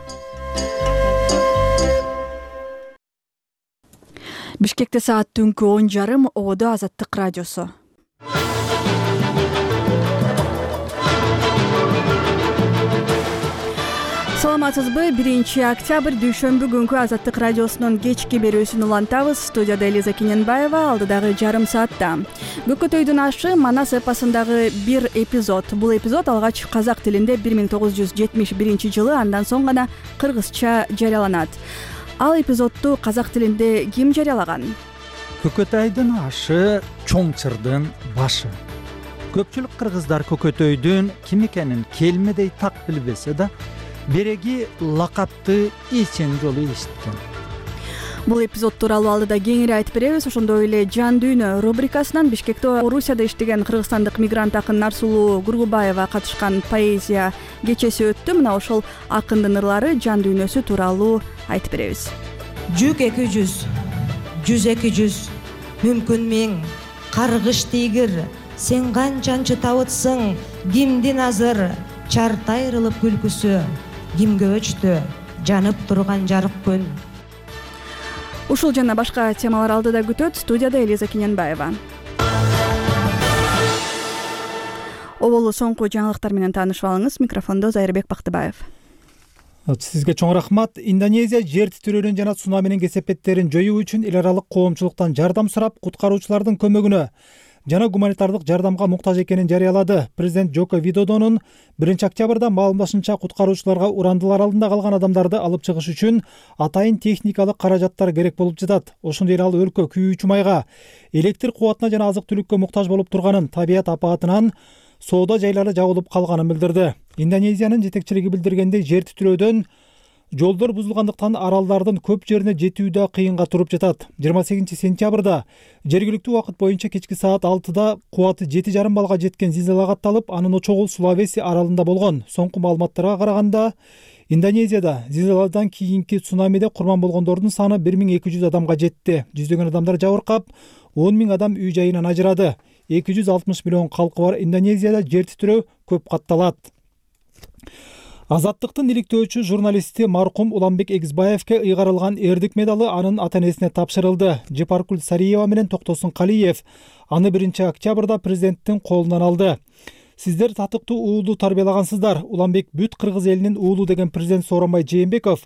Бишкекте саат түнкү он жарым, ободо Азаттык радиосу. Саламатсызбы? биринчи октябрь дүйшөмбү күнкү Азаттык радиосунун кечки берүүсүн улантабыз. Студияда Элиза Кененбаева, алдыдагы жарым саатта Көкөтөйдүн ашы Манас эпосундагы бир эпизод. Бул эпизод алгач казак тилинде бир миң тогуз жүз жетимиш биринчи жылы, андан соң гана кыргызча жарыяланат. Ал эпизодду казак тилинде ким жарыялаган? Көкөтөйдүн ашы чоң чырдын башы. Көпчүлүк кыргыздар Көкөтөйдүн ким экенин келмедей так билбесе да, береги лакапты эчен жолу эшиткен. Бул эпизод тууралуу алдыда кеңири айтып беребиз. Ошондой эле Жан дүйнө рубрикасынан Бишкекте Орусияда иштеген кыргызстандык мигрант акын Нарсулуу Гургубаева катышкан поэзия кечеси өттү. Мына ошол акындын ырлары, жан дүйнөсү тууралуу айтып беребиз. Жүк эки жүз, жүз эки жүз, мүмкүн миң, каргыш тийгир, сен канчанчы табытсың, кимдин азыр, чарт айрылып күлкүсү, кимге өчтү, жанып турган жарык күн. Ушул жана башка темалар алдыда күтөт. Студияда Элиза Кененбаева. Оболу соңку жаңылыктар менен таанышып алыңыз. Микрофондо Зайырбек Бактыбаев. Сизге чоң рахмат. Индонезия жер титирөөнүн жана цунаминин кесепеттерин жоюу үчүн эл аралык коомчулуктан жардам сурап, куткаруучулардын көмөгүнө жана гуманитардык жардамга муктаж экенин жарыялады. Президент Жoko Видодонун биринчи октябрда маалымдашынча куткаруучуларга урандылар алдында калган адамдарды алып чыгыш үчүн атайын техникалык каражаттар керек болуп жатат. Ошондой эле ал өлкө күйүүчү майга, электр кубатына жана азык-түлүккө муктаж болуп турганын, табият апатынан соода жайлары жабылып калганын билдирди. Индонезиянын жетекчилиги билдиргендей, жер титирөөдөн жолдор бузулгандыктан аралдардын көп жерине жетүү да кыйынга туруп жатат. жыйырма сегизинчи сентябрда жергиликтүү убакыт боюнча кечки саат алтыда кубаты жети жарым баллга жеткен зилзала катталып, анын очогу Сулавеси аралында болгон. Соңку маалыматтарга караганда, Индонезияда зилзаладан кийинки цунамиде курман болгондордун саны бир миң эки жүз адамга жетти. Жүздөгөн адамдар жабыркап, он миң адам үй жайынан ажырады. эки жүз алтымыш миллион калкы бар Индонезияда жер титирөө көп катталат. Азаттыктын иликтөөчү журналисти маркум Уланбек Эгизбаевке ыйгарылган эрдик медалы анын ата-энесине тапшырылды. Жепаркул Сариева менен Токтосун Калиев аны биринчи октябрда президенттин колунан алды. Сиздер татыктуу уулду тарбиялагансыздар. Уланбек бүт кыргыз элинин уулу деген президент Сооронбай Жээнбеков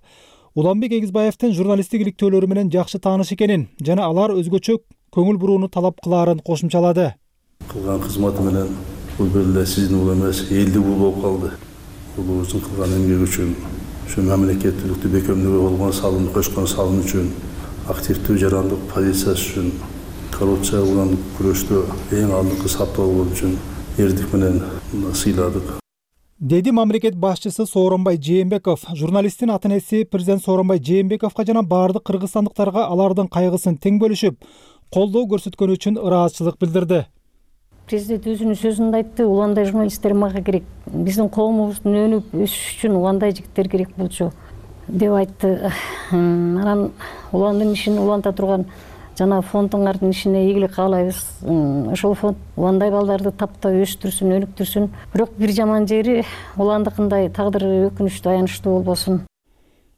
Уланбек Эгизбаевдин журналисттик иликтөөлөрү менен жакшы тааныш экенин жана алар өзгөчө көңүл бурууну талап кылаарын кошумчалады. Кылган кызматы менен бул бир эле сиздин уулу эмес, элдик уулу болуп калды. Уулубуздун кылган эмгеги үчүн, ушу мамлекеттүүлүктү бекемдөөгө болгон салымды кошкон салым үчүн, активдүү жарандык позициясы үчүн, коррупция менен күрөштө эң алдыңкы сапта болгон үчүн эрдик менен сыйладык. Деди мамлекет башчысы Сооронбай Жээнбеков. Журналисттин ата-энеси президент Сооронбай Жээнбековго жана баардык кыргызстандыктарга алардын кайгысын тең бөлүшүп, колдоо көрсөткөнү үчүн ыраазычылык билдирди. Президент өзүнүн сөзүндө айтты, уландай журналисттер мага керек, биздин коомубуздун өнүп өсүш үчүн уландай жигиттер керек болчу деп айтты. Анан уландын ишин уланта турган жана фондуңардын ишине ийгилик каалайбыз. Ошол фонд уландай балдарды таптап өстүрсүн, өнүктүрсүн. Бирок бир жаман жери уландыкындай тагдыры өкүнүчтүү, аянычтуу болбосун.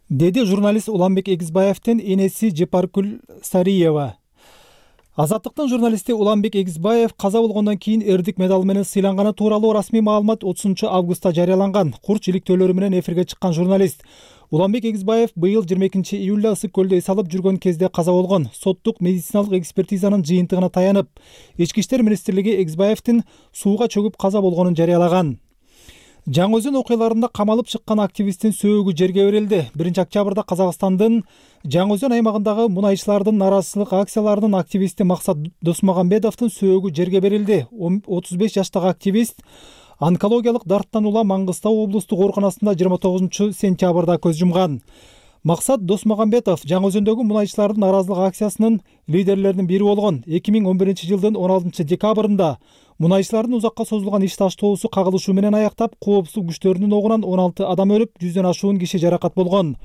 Деди журналист Уланбек Эгизбаевдин энеси Жепаркул Сариева. Азаттыктын журналисти Уланбек Эгизбаев каза болгондон кийин эрдик медалы менен сыйланганы тууралуу расмий маалымат отузунчу августта жарыяланган. Курч иликтөөлөрү менен эфирге чыккан журналист Уланбек Эгизбаев быйыл жыйырма экинчи июлда Ысык көлдө эс алып жүргөн кезде каза болгон. Соттук медициналык экспертизанын жыйынтыгына таянып, Ички иштер министрлиги Эгизбаевдин сууга чөгүп каза болгонун жарыялаган. Жаңы Өзөн окуяларында камалып чыккан активисттин сөөгү жерге берилди. биринчи октябрда Казакстандын Жаңы Өзөн аймагындагы мунайчылардын наразычылык акцияларынын активисти Максат Досмагамбетовдун сөөгү жерге берилди. отуз беш жаштагы активист онкологиялык дарттан улам Маңгыстау облустук ооруканасында жыйырма тогузунчу сентябрда көз жумган. Максат Досмагамбетов Жаңы Өзөндөгү мунайчылардын наразылык акциясынын лидерлеринин бири болгон. эки миң он биринчи жылдын он алтынчы декабрында мунайчылардын узакка созулган иш таштоосу кагылышуу менен аяктап, коопсуздук күчтөрүнүн огунан он алты адам өлүп, жүздөн ашуун киши жаракат болгон.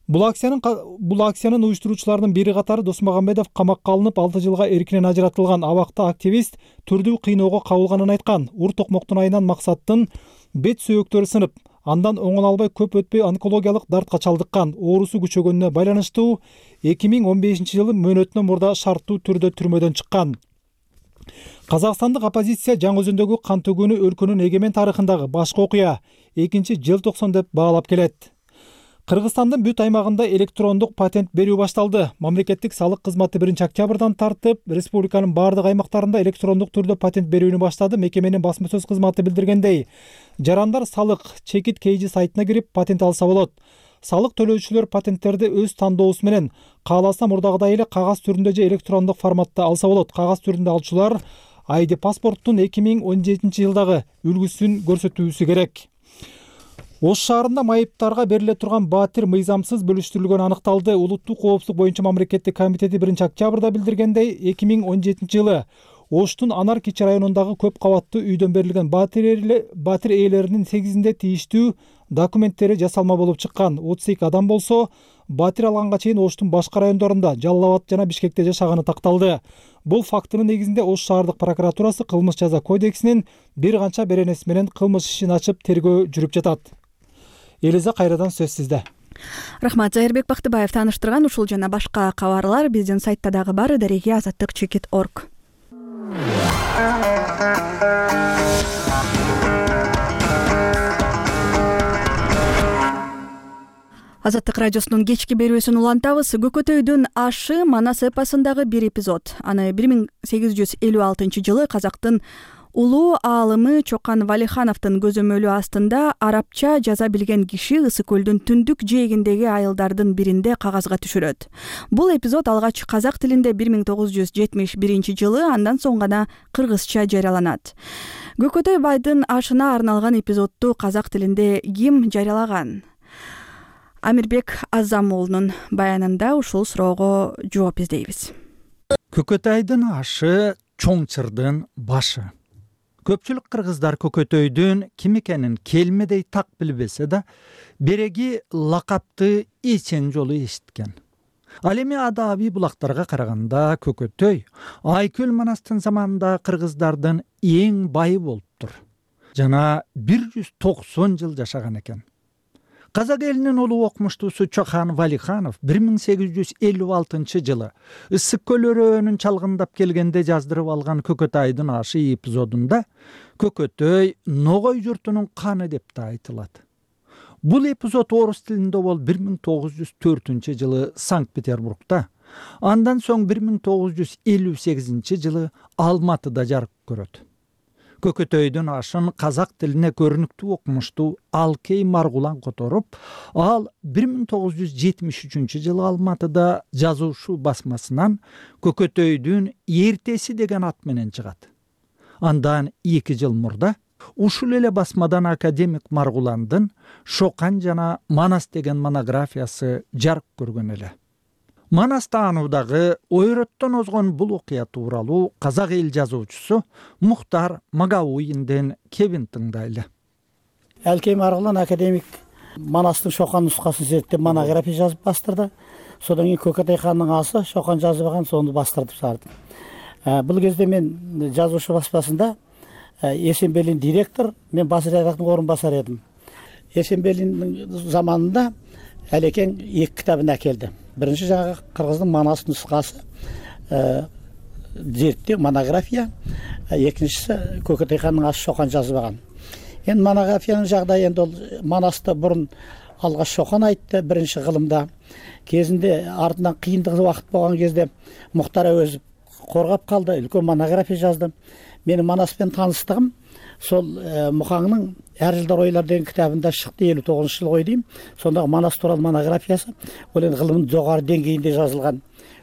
Бул акциянын бул акциянын уюштуруучуларынын бири катары Досмагамбетов камакка алынып, алты жылга эркинен ажыратылган. Абакта активист түрдүү кыйноого кабылганын айткан. Ур токмоктун айынан Максаттын бет сөөктөрү сынып, андан оңоно албай көп өтпөй онкологиялык дартка чалдыккан. Оорусу күчөгөнүнө байланыштуу эки миң он бешинчи жылы мөөнөтүнөн мурда шарттуу түрдө түрмөдөн чыккан. Казакстандык оппозиция Жаңы Өзөндөгү кан төгүүнү өлкөнүн эгемен тарыхындагы башкы окуя, экинчи желтоксон деп баалап келет. Кыргызстандын бүт аймагында электрондук патент берүү башталды. Мамлекеттик салык кызматы биринчи октябрдан тартып, республиканын бардык аймактарында электрондук түрдө патент берүүнү баштады. Мекеменин басма сөз кызматы билдиргендей, жарандар салык чекит кейжи сайтына кирип патент алса болот. Салык төлөөчүлөр патенттерди өз тандоосу менен кааласа мурдагыдай эле кагаз түрүндө же электрондук форматта алса болот. Кагаз түрүндө алчулар ай ди паспорттун эки миң он жетинчи жылдагы үлгүсүн көрсөтүүсү керек. Ош шаарында майыптарга бериле турган батир мыйзамсыз бөлүштүрүлгөнү аныкталды. Улуттук коопсуздук боюнча мамлекеттик комитети биринчи октябрда билдиргендей, эки миң он жетинчи жылы Оштун Анар Кичи районундагы көп кабаттуу үйдөн берилген батир ээлеринин сегизинде тийиштүү документтери жасалма болуп чыккан. отуз эки адам болсо, батир алганга чейин Оштун башка райондорунда, Жалал Абад жана Бишкекте жашаганы такталды. Бул фактынын негизинде Ош шаардык прокуратурасы кылмыш жаза кодексинин бир канча беренеси менен кылмыш ишин ачып тергөө жүрүп жатат. Элиза, кайрадан сөз сизде. Рахмат. Зайырбек Бактыбаев тааныштырган ушул жана башка кабарлар биздин сайтта дагы бар. Дареги азаттык чекит точка орг. Азаттык радиосунун кечки берүүсүн улантабыз. Көкөтөйдүн ашы Манас эпосундагы бир эпизод. Аны бир миң сегиз жүз элүү алтынчы жылы казактын улуу аалымы Чокан Валихановдун көзөмөлү астында арабча жаза билген киши Ысык көлдүн түндүк жээгиндеги айылдардын биринде кагазга түшүрөт. Бул эпизод алгач казак тилинде бир миң тогуз жүз жетимиш биринчи жылы, андан соң гана кыргызча жарыяланат. Көкөтөй байдын ашына арналган эпизодду казак тилинде ким жарыялаган? Амирбек Азамуулунун баянында ушул суроого жооп издейбиз. Көкөтайдын ашы чоң чырдын башы. Көпчүлүк кыргыздар Көкөтөйдүн ким экенин келмедей так билбесе да, береги лакапты эчен жолу эшиткен. Ал эми адабий булактарга караганда Көкөтөй Айкөл Манастын заманында кыргыздардын эң байы болуптур. Жана бир жүз токсон жыл жашаган экен. Казак элинин улуу окумуштуусу Чокан Валиханов бир миң сегиз жүз элүү алтынчы жылы Ысык көл өрөөнүн чалгындап келгенде жаздырып алган Көкөтайдын ашы эпизодунда Көкөтөй Ногой журтунун каны деп да айтылат. Бул эпизод орус тилинде бол бир миң тогуз жүз төртүнчү жылы Санкт-Петербургда, андан соң бир миң тогуз жүз элүү сегизинчи жылы Алматыда жарык көрөт. Көкөтөйдүн ашын казак тилине көрүнүктүү окумуштуу Алкей Маргулан которуп, ал бир миң тогуз жүз жетимиш үчүнчү жылы Алматыда жазуучу басмасынан Көкөтөйдүн эртеси деген ат менен чыгат. Андан эки жыл мурда ушул эле басмадан академик Маргуландын Шокан жана Манас деген монографиясы жарык көргөн эле. Манас таануудагы ойраттан озгон бул окуя тууралуу казак эл жазуучусу Мухтар Магауинден кебин тыңдайлы. Алкей Маргулан академик Манастын Шокан нускасын зерттеп монография жазып бастырды. Содан кийин Көкөтөй хандын асы Шокан жазбаган, сону бастырып сарды. Бул кезде мен жазуучу баспасында Эсенбелин директор, мен бас редактордун орун басары эдим. Эсенбелиндин заманында Алекең эки китабын әкелди. Биринчи жаңы кыргыздын Манас нускасы, зерттөө монография, экинчиси Көкөтөй ханның асы Шоқан жазбаган. Эми монографиянын жагдайы эми ол Манасты бурун алгаш Шоқан айтты биринчи кылымда. Кезинде артынан кыйындык убакыт болгон кезде Муктар Әуезов коргап калды, үлкөн монография жазды. Менин Манас менен тааныстыгым сол Мухаңның Ар жылдар ойлар деген китабында чыкты, элүү тогузунчу жылы ой дейм. Сондагы Манас тууралуу монографиясы ол эми кылымдын жогору деңгейинде жазылган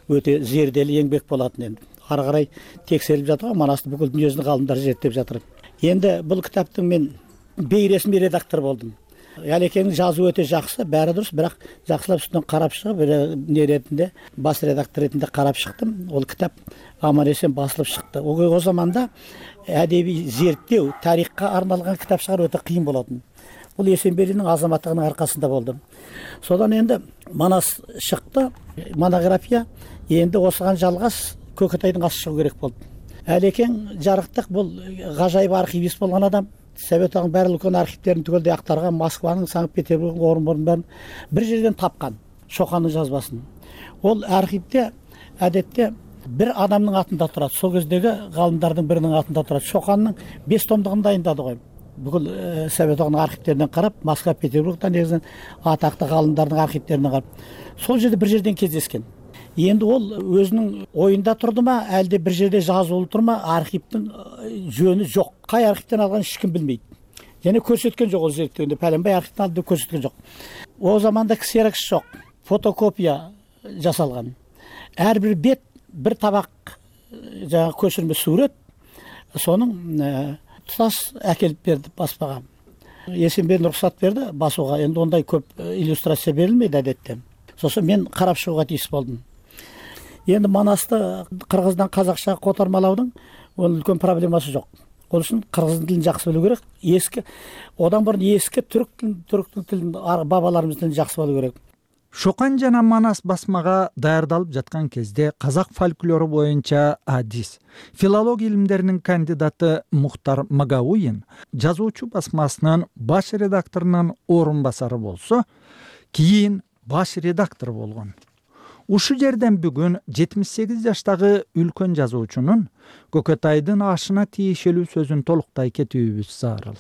өтө зерделүү еңбек болатын. Эми ары карай текшерип жатыр, Манасты бүкүл дүйнөдүн калымдары зерттеп жатыр. Энди бул китаптын мен бейресми редактор болдум. Алекеңдин жазуу өтө жакшы, баары дурус, бирок жакшылап үстүнөн карап чыгып, эмне ретинде бас редактор ретинде карап чыктым. Ол китап аман эсен басылып чыкты. О заманда әдеби зерттөө, тарихка арналган китап чыгаруу өтө кыйын болотун. Бул Эсенберлинин азаматтыгынын аркасында болду. Содан энди Манас чыкты, монография. Энди осуган жалгаш Көкөтөйдүн асы чыгуу керек болду. Алекең жарыктык, бул гажайып архивист болгон адам. Совет одагынын баары үлкөн архивдерин түгөлдөй актарган, Москванын, Санкт-Петербургдун, Орунбордун бир жерден тапкан Шокандын жазбасын. Ол архивде адетте бир адамдын атында турат. Сол кездеги галымдардын биринин атында турат. Шокандын беш томдугун дайындады го. Бүкүл Совет одагынын архивдерине карап, Москва, Петербургдан негизинен атактуу галымдардын архивдерине карап, сол жерде бир жерден кездескен. Енді ол өзінің ойында тұрды ма, әлде бір жерде жазылып тұр ма, архивтің жөні жоқ. Қай архивтен алған ешкім білмейді. Және көрсеткен жоқ ол зерттеуінде, пәленбай архивтен алды көрсеткен жоқ. О заманда ксерокс жоқ, фотокопия жасалған. Әрбір бет бір табақ жаңа көшірме сурет, соның тұтас әкеліп берді баспаға. Есенберлин рұқсат берді басуға. Енді ондай көп иллюстрация берілмейді әдетте. Сосын мен қарап шығуға тиіс болдым. Енді Манасты қырғыздан қазақша қотармалаудың оның үлкен проблемасы жоқ. Ол үшін қырғыздың тілін жақсы білу керек. Ескі, одан бұрын ескі түрік тілін, түріктің тілін, бабаларымыз тілін жақсы білу керек. Шоқан жана Манас басмага даярдалып жаткан кезде казак фольклору боюнча адис, филология илимдеринин кандидаты Мухтар Магауин жазуучу басмасынын баш редакторунун орун басары болсо, кийин баш редактор болгон. Ушу жерден бүгүн жетимиш сегиз жаштагы үлкөн жазуучунун Көкөтайдын ашына тиешелүү сөзүн толуктай кетүүбүз зарыл.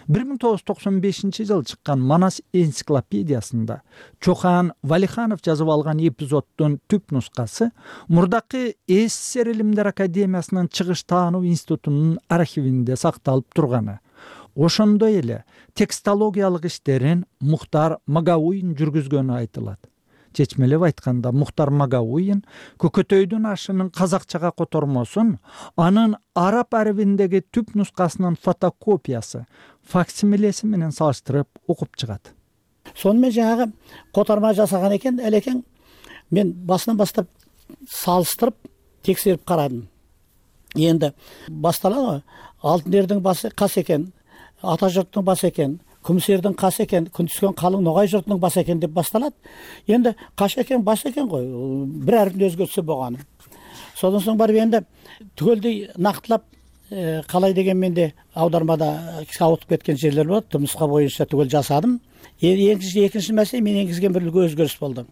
бир миң тогуз жүз токсон бешинчи жылы чыккан Манас энциклопедиясында Чохан Валиханов жазып алган эпизоддун түп нускасы мурдакы СССР Илимдер академиясынын чыгыш таануу институтунун архивинде сакталып турганы. Ошондой эле текстологиялык иштерин Мухтар Магауин жүргүзгөнү айтылат. Чечмелеп айтканда, Мухтар Магауин Көкөтөйдүн ашынын казакчага котормосун анын араб арабиндеги түп нускасынын фотокопиясы, факсимилеси менен салыштырып окуп чыгат. Сонымен жаңағы котарма жасаган экен, элекең мен басынан бастап салыштырып, текшерип карадым. Енді басталады, Алтын Эрдин басы кас экен, ата жұрттың басы екен, күміс ердің қас екен, күн түскен қалың ноғай жұртының басы екен деп басталады. Енді қаш екен, бас екен ғой, бір әріптің өзгертісі болғаны. Содан соң барып енді түгелдей нақтылап қалай дегенмен де аудармада ауытып кеткен жерлер болады. Түпнұсқа бойынша түгел жасадым. Екінші мәселе мен енгізген бір үлгі өзгеріс болды.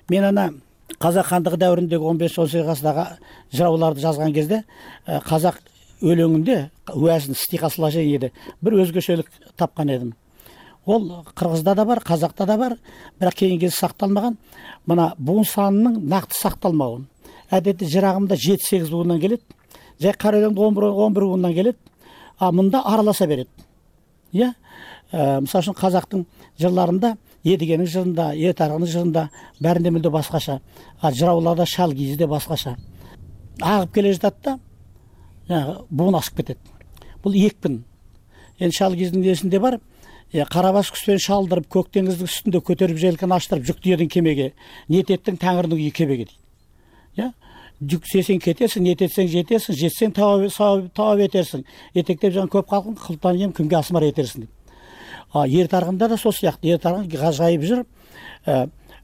Мен ана қазақ хандығы дәуіріндегі он беш он сегіз ғасырдағы жырауларды жазған кезде қазақ өлеңінде уәзін стиха сложениеде бір өзгешелік тапқан едім. Ол қырғызда да бар, қазақта да бар, бірақ кейінгі сақталмаған. Мына буын санының нақты сақталмауы. Әдетте жырағымда жеті сегіз буыннан келеді, жай қара өлеңде он бір буыннан келеді, а мұнда араласа береді. Иә? Мысалы үшін қазақтың жырларында, Едігенің жырында, Етарғының жырында бәрінде мүлде басқаша, а жырауларда шал киізде басқаша. Ағып келе жатады да, буын асып кетеді. Бұл екпін. Енді шал киіздің несінде бар, қарабас құспен шалдырып, көк теңіздің үстінде көтеріп желкен аштырып, жүкті едің кемеге, ниет еттің тәңірдің үйі кебеге дейді. Жүк сесен кетерсің, ниет етсең жетерсің, жетсең тауап етерсің, етектеп жан көп қалқын, қылтан ем күнге асмар етерсің дейді. Ер тарғында да сол сияқты, ер тарғын ғажайып жүр,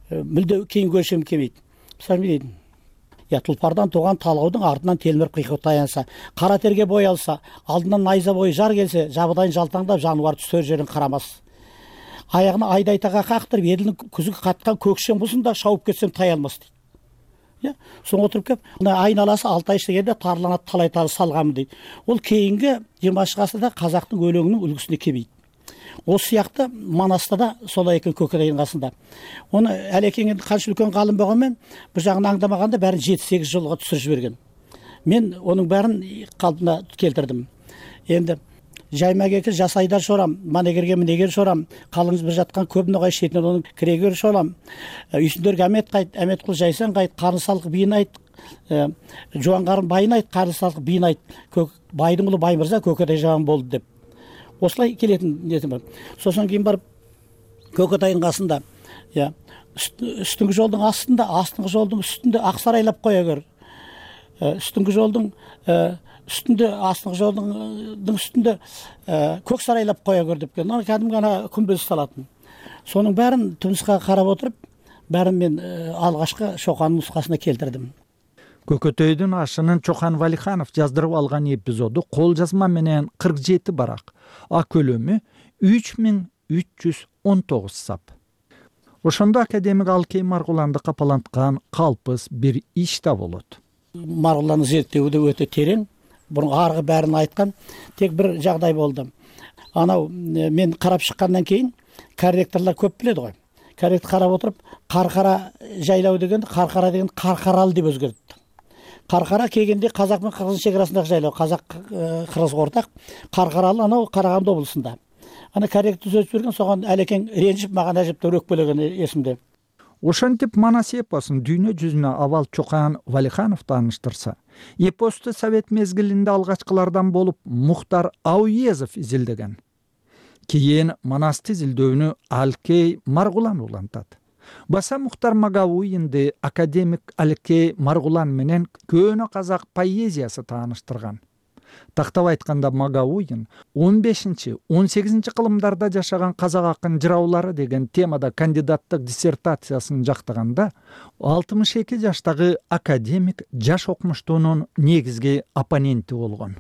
мүлде кейін көршем кемейді. Мысалы дейді, тұлпардан туған талғаудың артынан телміріп қиқы таянса, қара терге бой алса, алдынан найза бойы жар келсе, жабыдайын жалтаңдап жануар түстер жерін қарамас. Аяғына айдайтаға қақтырып, еділдің күзігі қатқан көкшен бұсын да шауып кетсем тай алмас дейді. э соң отуруп келип мына айналасы алты ай иштегенде тарланат талай тал салганмын дейт. Ол кейинги жыйырманчы гасырда казактын өлеңинин үлгүсүнө келбейт. Осы сыяктуу Манаста да солай экен Көкөтайдын касында. Оны Алекең канча үлкөн галым болгонмен бир жагын аңдамаганда баарын жети сегиз жолго түшүрүп жиберген. Мен onun баарын калпына келтирдим. Енді жаймак эки жасайдар шорам, манегерге минегер шорам, калыңыз бір жатқан көп ноғай шетінен оның кірегер шорам. Үйсіндерге әмет қайт, әмет қыл жайсан қайт, қарны салық бейін айт, жуан қарын байын айт, қарны салық бейін айт. Байдың ұлы бай мырза Көкөтай жауан болды деп. Осылай келетін нетім бар. Сосын кейін барып Көкөтайдың қасында, үстіңгі жолдың астында, астыңғы жолдың үстінде ақсарайлап қоя көр. Үстіңгі жолдың үстінде, астыңғы жолдың үстінде көк сарайлап қоя көр деп келді. Кәдімгі ана күмбез салатын. Соның бәрін түнісқа қарап отырып, бәрін мен алғашқы Шоқанның нұсқасына келтірдім. Көкөтөйдүн ашынын Чоқан Валиханов жаздырып алган эпизоду кол жазма менен кырк жети барак. А көлөмү үч миң үч жүз он тогуз сап. Ошондо академик Алкей Маргуланды капаланткан калпыс бир иш да болот. Маргуланды зерттөөдө өтө терең, бұрын арғы бәрін айткан, тек бір жағдай болды. Анау мен қарап шыққандан кейін корректорлар көп біледі ғой. Корректор қарап отырып, Қарқара жайлау деген, Қарқара деген Қарқаралы деп өзгертті. Қарқара келгенде қазақ пен қырғыз шекарасындағы жайлау, қазақ қырғыз ортақ, Қарқаралы анау Қарағанды облысында. Ана корректор сөз берген, соған Әлекең ренжіп, маған әжептәуір өкпелеген есімде. Ошентип Манас эпосун дүйнө жүзүнө авал Чоқан Валиханов тааныштырса, эпосту совет мезгилинде алгачкылардан болуп Мухтар Ауезов изилдеген. Кийин Манасты изилдөөнү Алкей Маргулан улантат. Баса Мухтар Магауинди академик Алкей Маргулан менен көөнө казак поэзиясы тааныштырган. Тактап айтканда Магауин он бешинчи он сегизинчи кылымдарда жашаган казак акын жыраулары деген темада кандидаттык диссертациясын жактаганда алтымыш эки жаштагы академик жаш окумуштуунун негизги оппоненти болгон.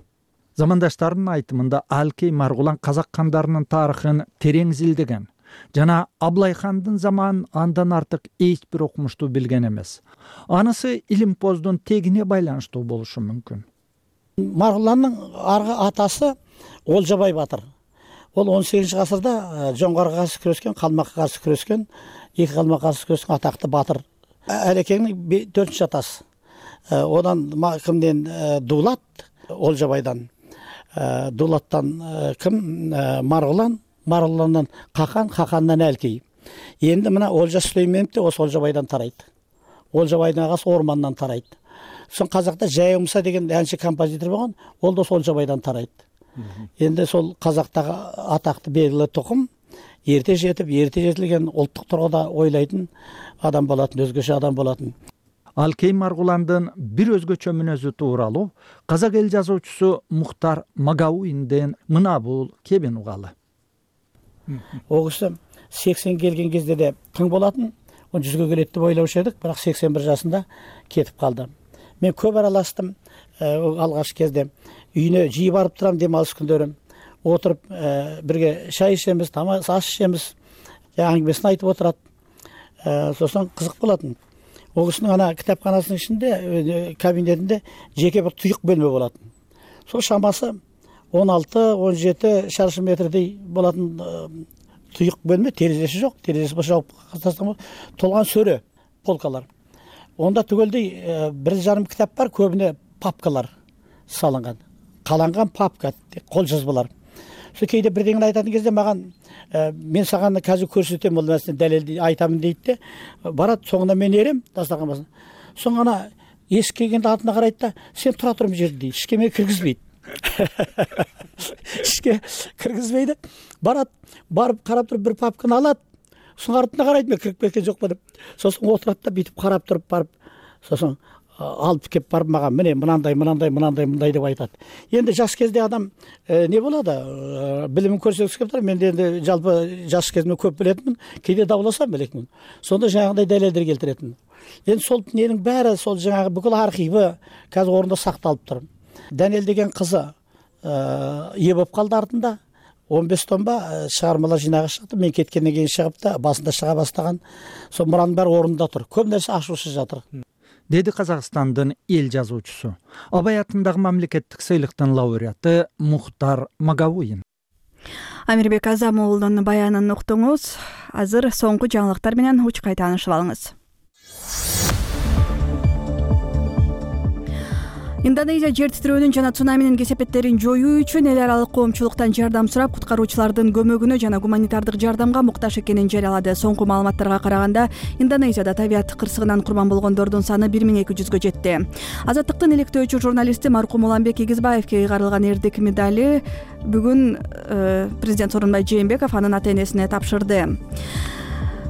Замандаштарынын айтымында Алкей Маргулан казак кандарынын тарыхын терең изилдеген жана Аблайхандын заманын андан артык эч бир окумушту билген эмес. Анысы илимпоздун тегине байланыштуу болушу мүмкүн. Маргуланның арғы атасы Олжабай батыр. Ол он сегизинчи ғасырда жоңғарға қарсы күрескен, қалмаққа қарсы күрескен, екі қалмаққа қарсы күрескен атақты батыр. Әлекеңнің төртінші атасы. Одан кімден Дулат, Олжабайдан. Дулаттан кім? Маргулан, Маргуланнан Қақан, Қақаннан Әлкей. Енді мына Олжа Сүлейменов те осы Олжабайдан тарайды. Олжабайдың ағасы Орманнан тарайды. Сон қазақта Жайымса деген әнші композитор болған, ол да Олжабайдан тарайды. Енді сол қазақтағы атақты белгілі тұқым ерте жетіп, ерте жетілген ұлттық тұрғыда ойлайтын адам болатын, өзгеше адам болатын. Алкей Маргуландын бир өзгөчө мүнөзү тууралуу казак эл жазуучусу Мухтар Магауинден мына бул кебин угалы. Ол киши сексен келген кезде де тың болатын, он жүзгө келет деп ойлаушы едік, бірақ сексен бір жасында кетіп қалды. Мен көп араластым алғаш кезде. Үйіне жиі барып тұрам демалыс күндері. Отырып бірге шай ішеміз, тамақ ас ішеміз. Әңгімесін айтып отырады. Сосын қызық болатын. Ол кісінің ана кітапханасының ішінде, кабинетінде жеке бір тұйық бөлме болатын. Сол шамасы он алты он жеті шаршы метрдей болатын тұйық бөлме, терезесі жоқ, терезесі жауып тастаған толған сөре, полкалар. Онда түгелдей бір жарым кітап бар, көбіне папкалар салынған. Қаланған папка, қол жазбалар. Сол кейде бірдеңін айтатын кезде маған, мен саған қазір көрсетем, ол мәселе дәлелді айтамын дейді де, барады, соңына мен ерем, дастархан басына. Соңына есік келгенде артына қарайды да, сен тұра тұрым жерді дейді, ішке мен кіргізбейді. Ішке кіргізбейді, барады, барып қарап тұрып бір папканы алады. Соң артына қарайды, мен кіріп кеткен жоқ па деп. Сосын отырады да бүйтіп қарап тұрып барып, сосын алып кеп барып маған міне мынандай, мынандай, мынандай, мындай деп айтады. Енді жас кезде адам не болады? Білімін көрсеткісі келіп тұр. Мен де енді жалпы жас кезімде көп білетінмін, кейде дауласам білекмін. Сонда жаңағындай дәлелдер келтіретінмін. Енді сол ненің бәрі, сол жаңағы бүкіл архиві қазір орында сақталып тұр. Дәнел деген қызы ие болып қалды артында. он бес томба шығармалар жинағы шықты. Мен кеткеннен кейін шығып та басында шыға бастаған. Сол мұраның бәрі орнында тұр. Көп нәрсе ашусыз жатыр. деди Казакстандын эл жазуучусу, Абай атындагы мамлекеттик сыйлыктын лауреаты Мухтар Магавуин. Амирбек Азамуулдун баянын уктуңуз. Азыр соңку жаңылыктар менен учкай таанышып алыңыз. Индонезия жер титирөөнүн жана цунаминин кесепеттерин жоюу үчүн эл аралык коомчулуктан жардам сурап, куткаруучулардын көмөгүнө жана гуманитардык жардамга муктаж экенин жарыялады. Соңку маалыматтарга караганда, Индонезияда табият кырсыгынан курман болгондордун саны бир миң эки жүзгө жетти. Азаттыктын иликтөөчү журналисти маркум Уланбек Эгизбаевке ыйгарылган эрдик медали бүгүн президент Сооронбай Жээнбеков анын ата-энесине тапшырды.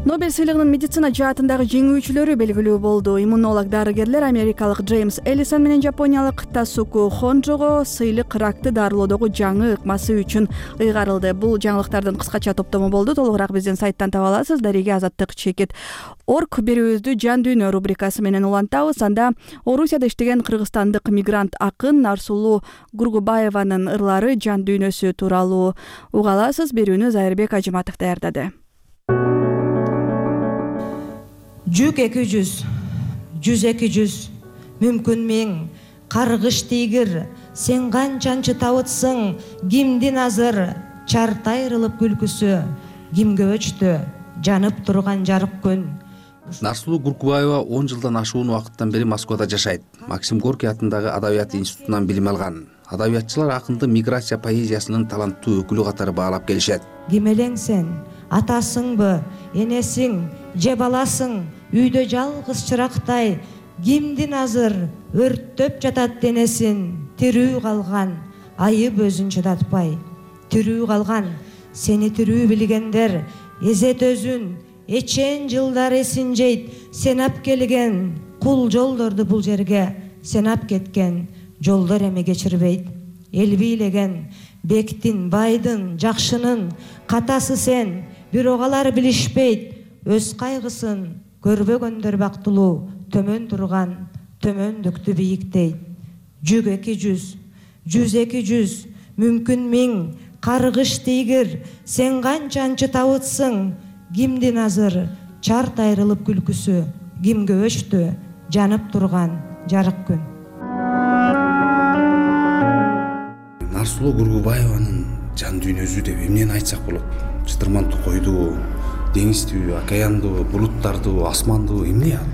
Нобель сыйлыгынын медицина жаатындагы жеңүүчүлөрү белгилүү болду. Иммунолог дарыгерлер америкалык Джеймс Эллисон менен жапониялык Тасуку Хонжого сыйлык ракты дарылоодогу жаңы ыкмасы үчүн ыйгарылды. Бул жаңылыктардын кыскача топтому болду. Толугураак биздин сайттан таба аласыз. Дареге азаттык чекит орг берүүбүздү жан дүйнө рубрикасы менен улантабыз. Анда Орусияда иштеген кыргызстандык мигрант акын Нарсулуу Гургубаеванын ырлары жан дүйнөсү тууралуу уга аласыз. Берүүнү Зайырбек Ажыматов даярдады. Жүк эки жүз, жүз эки жүз, мүмкүн миң, каргыш тийгир, сен канчанчы табытсың, кимдин азыр, чартайрылып күлкүсү, кимге өчтү, жанып турган жарык күн. Нарсулуу Гургубаева он жылдан ашуун убакыттан бери Москвада жашайт. Максим Горький атындагы Адабият институтунан билим алган. Адабиятчылар акынды миграция поэзиясынын таланттуу өкүлү катары баалап келишет. Ким элең сен? Атасыңбы, энесиң, же баласың, үйдө жалгыз чырактай, кимдин азыр өрттөп жатат денесин, тирүү калган, айып өзүн чыдатпай. Тирүү калган, сени тирүү билгендер, эзет өзүн, эчен жылдар эсин жейт, сен ап келген, кул жолдорду бул жерге, сен ап кеткен, жолдор эми кечирбейт. Эл бийлеген, бектин, байдын, жакшынын, катасы сен, бирок алар билишпейт, өз кайгысын көрбөгөндөр бактылуу, төмөн турган, төмөндүктү бийиктейт. Жүк эки жүз, жүз эки жүз, мүмкүн миң, каргыш тийгир, сен канчанчы табытсың, кимдин азыр, чарт айрылып күлкүсү, кимге өчтү, жанып турган жарык күн. Нарсулуу Гургубаеванын жан дүйнөсү деп эмнени айтсак болот? Чытырман койду, деңизди, океанды, булуттарды, асманды эмне ал?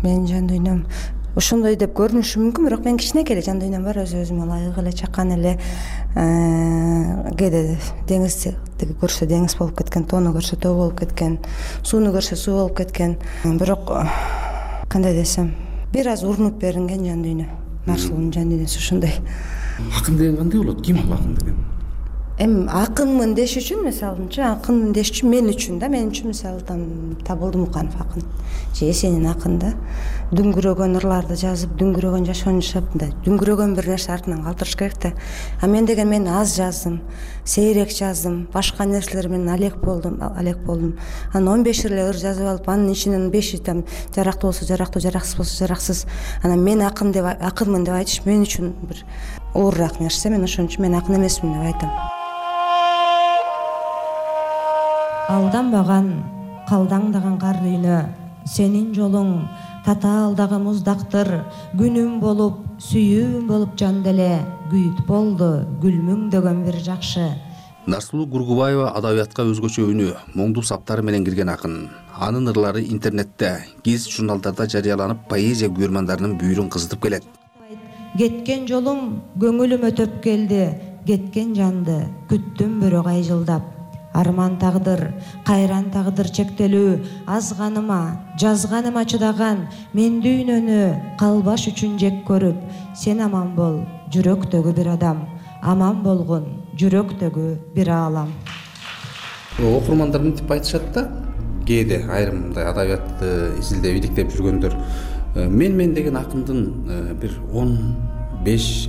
Менин жан дүйнөм ошондой деп көрүнүшү мүмкүн, бирок мен кичинекей эле жан дүйнөм бар, өз өзүмө ылайык эле чакан эле. Кээде деңизди көрсө деңиз болуп кеткен, тоону көрсө тоо болуп кеткен, сууну көрсө суу болуп кеткен. Бирок кандай десем, бир аз урунуп беринген жан дүйнө. Нарсулуунун жан дүйнөсү ошондой. Акын деген кандай болот? Ким ал акын деген? Эми акынмын деш үчүн, мисалынча, акынмын деш үчүн мен үчүн да, мен үчүн мисалы там Табылды Муканов акын, же Эсенин акын да. Дүңгүрөгөн ырларды жазып, дүңгүрөгөн жашоонун жашап, мындай дүңгүрөгөн бир нерсе артынан калтырыш керек да. А мен деген мен аз жаздым, сейрек жаздым, башка нерселер менен алек болдум, алек болдум. Анан он беш эле ыр жазып алып, анын ичинен беши там жарактуу болсо жарактуу, жараксыз болсо жараксыз. Анан мен акын деп, акынмын деп айтыш мен үчүн бир оорураак нерсе. Мен ошон үчүн мен акын эмесмин деп айтам. Алданбаган, калдаңдаган кар дүйнө, сенин жолуң татаалдагы муздактыр, күнүм болуп, сүйүүм болуп жан деле, күйүт болду, гүлмүңдөгөн бир жакшы. Нарсулуу Гургубаева адабиятка өзгөчө үнү, моңдуу саптары менен кирген акын. Анын ырлары интернетте, гезит журналдарда жарыяланып, поэзия күйөрмандарынын бүйүрүн кызытып келет. Кеткен жолуң көңүлүмө төп келди, кеткен жанды күттүм бирок ай жылдап. Арман тагдыр, кайран тагдыр чектелүү, азганыма, жазганыма чыдаган, мен дүйнөнү калбаш үчүн жек көрүп, сен аман бол, жүрөктөгү бир адам, аман болгон, жүрөктөгү бир аалам. Окурмандар мынтип айтышат да, кээде айрым мындай адабиятты изилдеп, иликтеп жүргөндөр, мен мен деген акындын бир он беш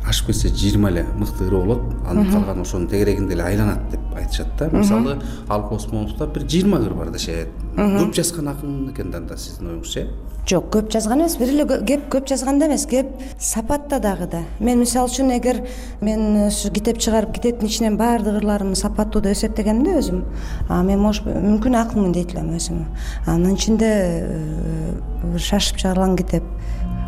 ашып кетсе жыйырма эле мыкты ыры болот, анын калганы ошонун тегерегинде эле айланат деп айтышат да. Мисалы Алып Осмоновдо бир жыйырма ыр бар дешет. Көп жазган акын экен да сиздин оюңузча? Жок, көп жазган эмес. Бир эле кеп көп жазганда эмес, кеп сапатта дагы да. Мен мисалы үчүн эгер мен ушу китеп чыгарып, китептин ичинен баардык ырларымды сапаттуу деп эсептегенимде өзүм, а мен может мүмкүн акынмын дейт элем өзүм. Анын ичинде шашып чыгарылган китеп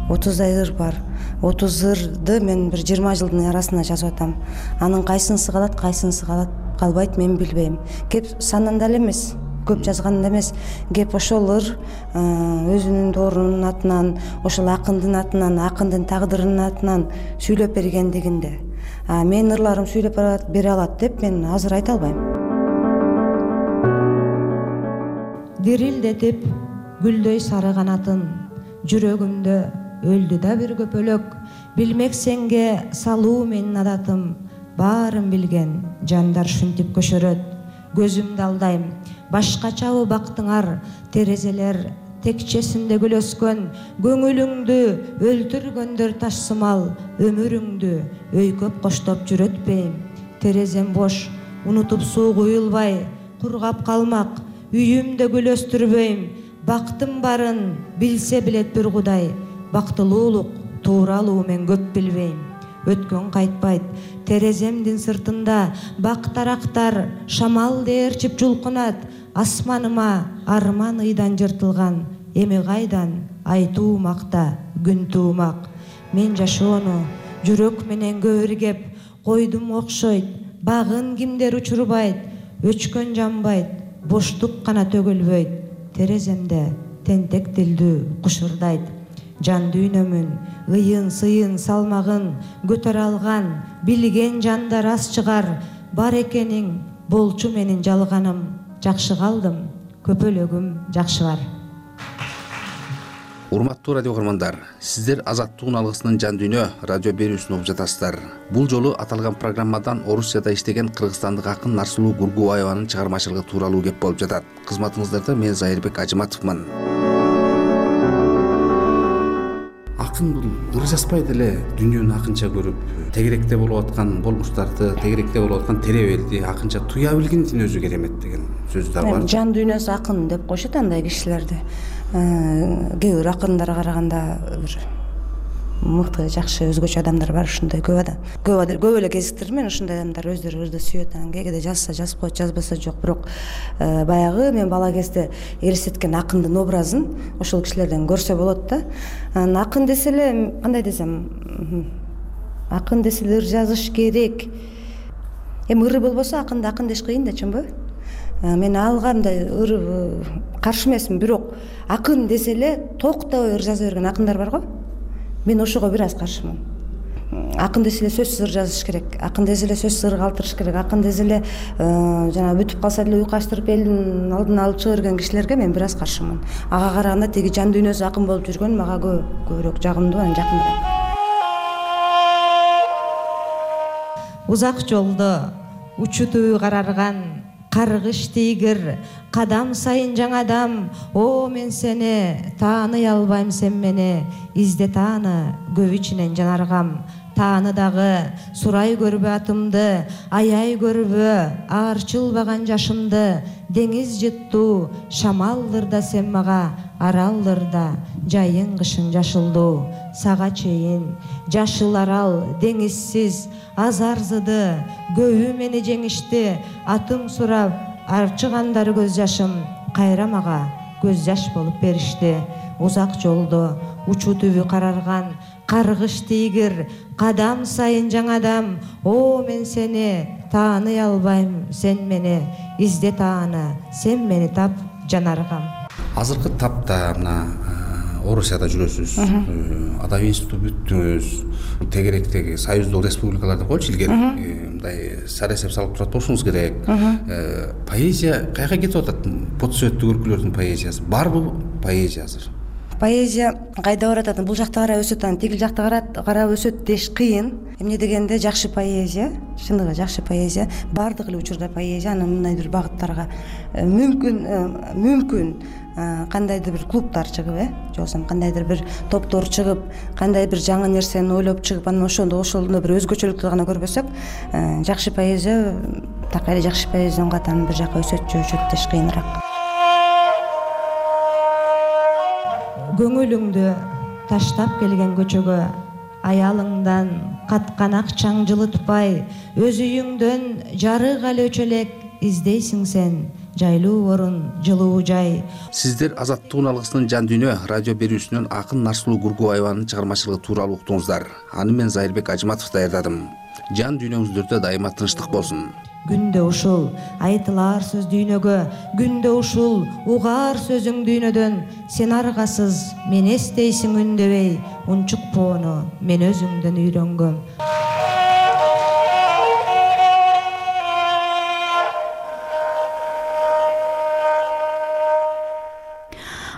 отуздай ыр бар. отуз ырды мен бир жыйырма жылдын арасында жазып атам. Анын кайсынысы калат, кайсынысы калат, калбайт мен билбейм. Кеп санында эле эмес, көп жазганда эмес, кеп ошол ыр өзүнүн доорунун атынан, ошол акындын атынан, акындын тагдырынын атынан сүйлөп бергендигинде. А менин ырларым сүйлөп бере алат деп мен азыр айта албайм. Дирилдетип гүлдөй сары канатын, жүрөгүмдө өлдү да бир көпөлөк. Билмек сенге салуу менин адатым, баарын билген жандар шүнтүп көшөрөт. Көзүмдү алдайм, башкачабы бактыңар, терезелер текчесинде гүлөскөн. Көңүлүңдү өлтүргөндөр ташсымал, өмүрүңдү өйкөп коштоп жүрөтпейм. Терезем бош, унутуп суу куюлбай, кургап калмак, үйүмдө гүл өстүрбөйм. Бактым барын билсе билет бир Кудай, бактылуулук тууралуу мен көп билбейм. Өткөн кайтпайт тереземдин сыртында, бактарактар шамал дээрчип жулкунат. Асманыма арман ыйдан жыртылган, эми кайдан айтуу макта күн туумак. Мен жашоону жүрөк менен көөргеп койдум окшойт, багын кимдер учурбайт, өчкөн жанбайт, боштук гана төгүлбөйт. Тереземде тентек тилдүү кушурдайт. Жан дүйнөмүн ыйын сыйын салмагын көтөрө алган билген жандар аз чыгар. Бар экениң болчу менин жалганым, жакшы калдым, көпөлөгүм жакшы бар. Урматтуу радио көрмандар, сиздер Азаттыктын алгысынын жан дүйнө радио берүүсүн угуп жатасыздар. Бул жолу аталган программадан Орусияда иштеген кыргызстандык акын Нарсулуу Гургубаеванын чыгармачылыгы тууралуу кеп болуп жатат. Кызматыңыздарда мен Зайырбек Ажыматовмун. Акын бул ыр жазбай деле дүйнөнү акынча көрүп, тегеректе болуп аткан болмуштарды, тегеректе болуп аткан теребелди акынча туя билгендин өзү керемет деген сөз да бар. Жан дүйнөсү акын деп коюшат андай кишилерди. Кээ бир акындарга караганда бир мыкты, жакшы, өзгөчө адамдар бар, ушундай көп адам. Көп көп эле кезиктирдим мен ушундай адамдар өздөрү ырды сүйөт, анан кээде жазса жазып коет, жазбаса жок. Бирок баягы мен бала кезде элестеткен акындын образын ошол кишилерден көрсө болот да. Анан акын десе эле, кандай десем, акын десе эле ыр жазыш керек. Эми ыры болбосо акынды акын деш кыйын да, чынбы? Мен алга мындай ыр каршы эмесмин, бирок акын десе эле токтобой ыр жаза берген акындар бар го. Мен ошого бир аз каршымын. Акын десе эле сөзсүз ыр жазыш керек. Акын десе эле сөзсүз ыр калтырыш керек. Акын десе эле жана бүтүп калса деле уйку ачтырып элдин алдына алып чыга берген кишилерге мен бир аз каршымын. Ага караганда тиги жан дүйнөсү акын болуп жүргөн мага көбүрөөк жагымдуу, анан жакыныраак. Узак жолдо учу түбү карарган каргыш тийгир, кадам сайын жаңадам. О, мен сени тааный албайм, сен мени изде тааны, көп ичинен жанаргам. Тааны дагы сурай көрбө атымды, аяй көрбө аарчылбаган жашымды. Деңиз жыттуу шамалдырда сен мага, аралдырда жайын кышын жашылдуу. Сага чейин жашыл арал деңизсиз аз арзыды, көбү мени жеңишти. Атым сурап арчыгандар көз жашым, кайра мага көз жаш болуп беришти. Узак жолдо учу түбү карарган каргыш тийгир, кадам сайын жаңадам. О, мен сени тааный албайм, сен мени изде тааны, сен мени тап жанаргам. Азыркы тапта мына Орусияда жүрөсүз, адабий институту бүттүңүз, тегеректеги союздук республикаларда койчу илгери мындай сарасеп салып турат болушуңуз керек. Поэзия каяка кетип атат? Подсуеттүү көркүлөрдүн поэзиясы барбы поэзия азыр? поэзия кайда барат анан бул жакта карап өсөт анан тигил жакта карап өсөт деш кыйын. Эмне дегенде жакшы поэзия, чындыгы жакшы поэзия, баардык эле учурда поэзия анан мындай бир багыттарга мүмкүн мүмкүн кандайдыр бир клубтар чыгып, э же болбосо кандайдыр бир топтор чыгып, кандайдыр бир жаңы нерсени ойлоп чыгып, анан ошондо ошондо бир өзгөчөлүктү гана көрбөсөк, жакшы поэзия так эле жакшы поэзиянын катарын бир жака өсөт же өчөт деш кыйыныраак. Көңүлүңдү таштап келген көчөгө аялыңдан каткан акчаң жылытпай, өз үйүңдөн жарык эле өчө элек издейсиң сен жайлуу орун, жылуу жай. Сиздер Азаттыктын алгысынын жан дүйнө радио берүүсүнөн Акын Нарсулуу Гургубаеванын чыгармачылыгы тууралуу уктуңуздар. Аны мен Зайырбек Ажматов даярдадым. Жан дүйнөңүздөрдө дайыма тынчтык болсун. Күндө ушул айтылар сөз дүйнөгө, күндө ушул угаар сөзүң дүйнөдөн, сен аргасыз мен эстейсиң үндөбөй, унчукпоону мен өзүңдөн үйрөнгөм.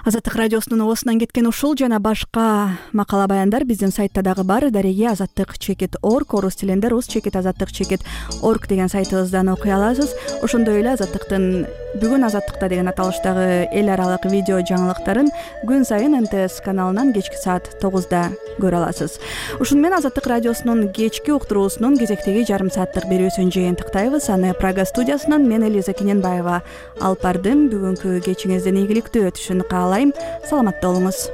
Азаттык радиосунун оосунан кеткен ушул жана башка макала баяндар биздин сайтта дагы бар. Дареги азаттык чекит орг, орус тилинде рус чекит азаттык чекит орг деген сайтыбыздан окуй аласыз. Ошондой эле азаттыктын бүгүн азаттыкта деген аталыштагы эл аралык видео жаңылыктарын күн сайын эн тэ эс каналынан кечки саат тогузда көрө аласыз. Ушуну менен Азаттык радиосунун кечки уктуруусунун кезектеги жарым сааттык берүүсүн жыйынтыктайбыз. Аны Прага студиясынан мен Элиза Кененбаева алып бардым. Бүгүнкү кечиңиздин ийгиликтүү өтүшүн каалайм. Саламатта болуңуз.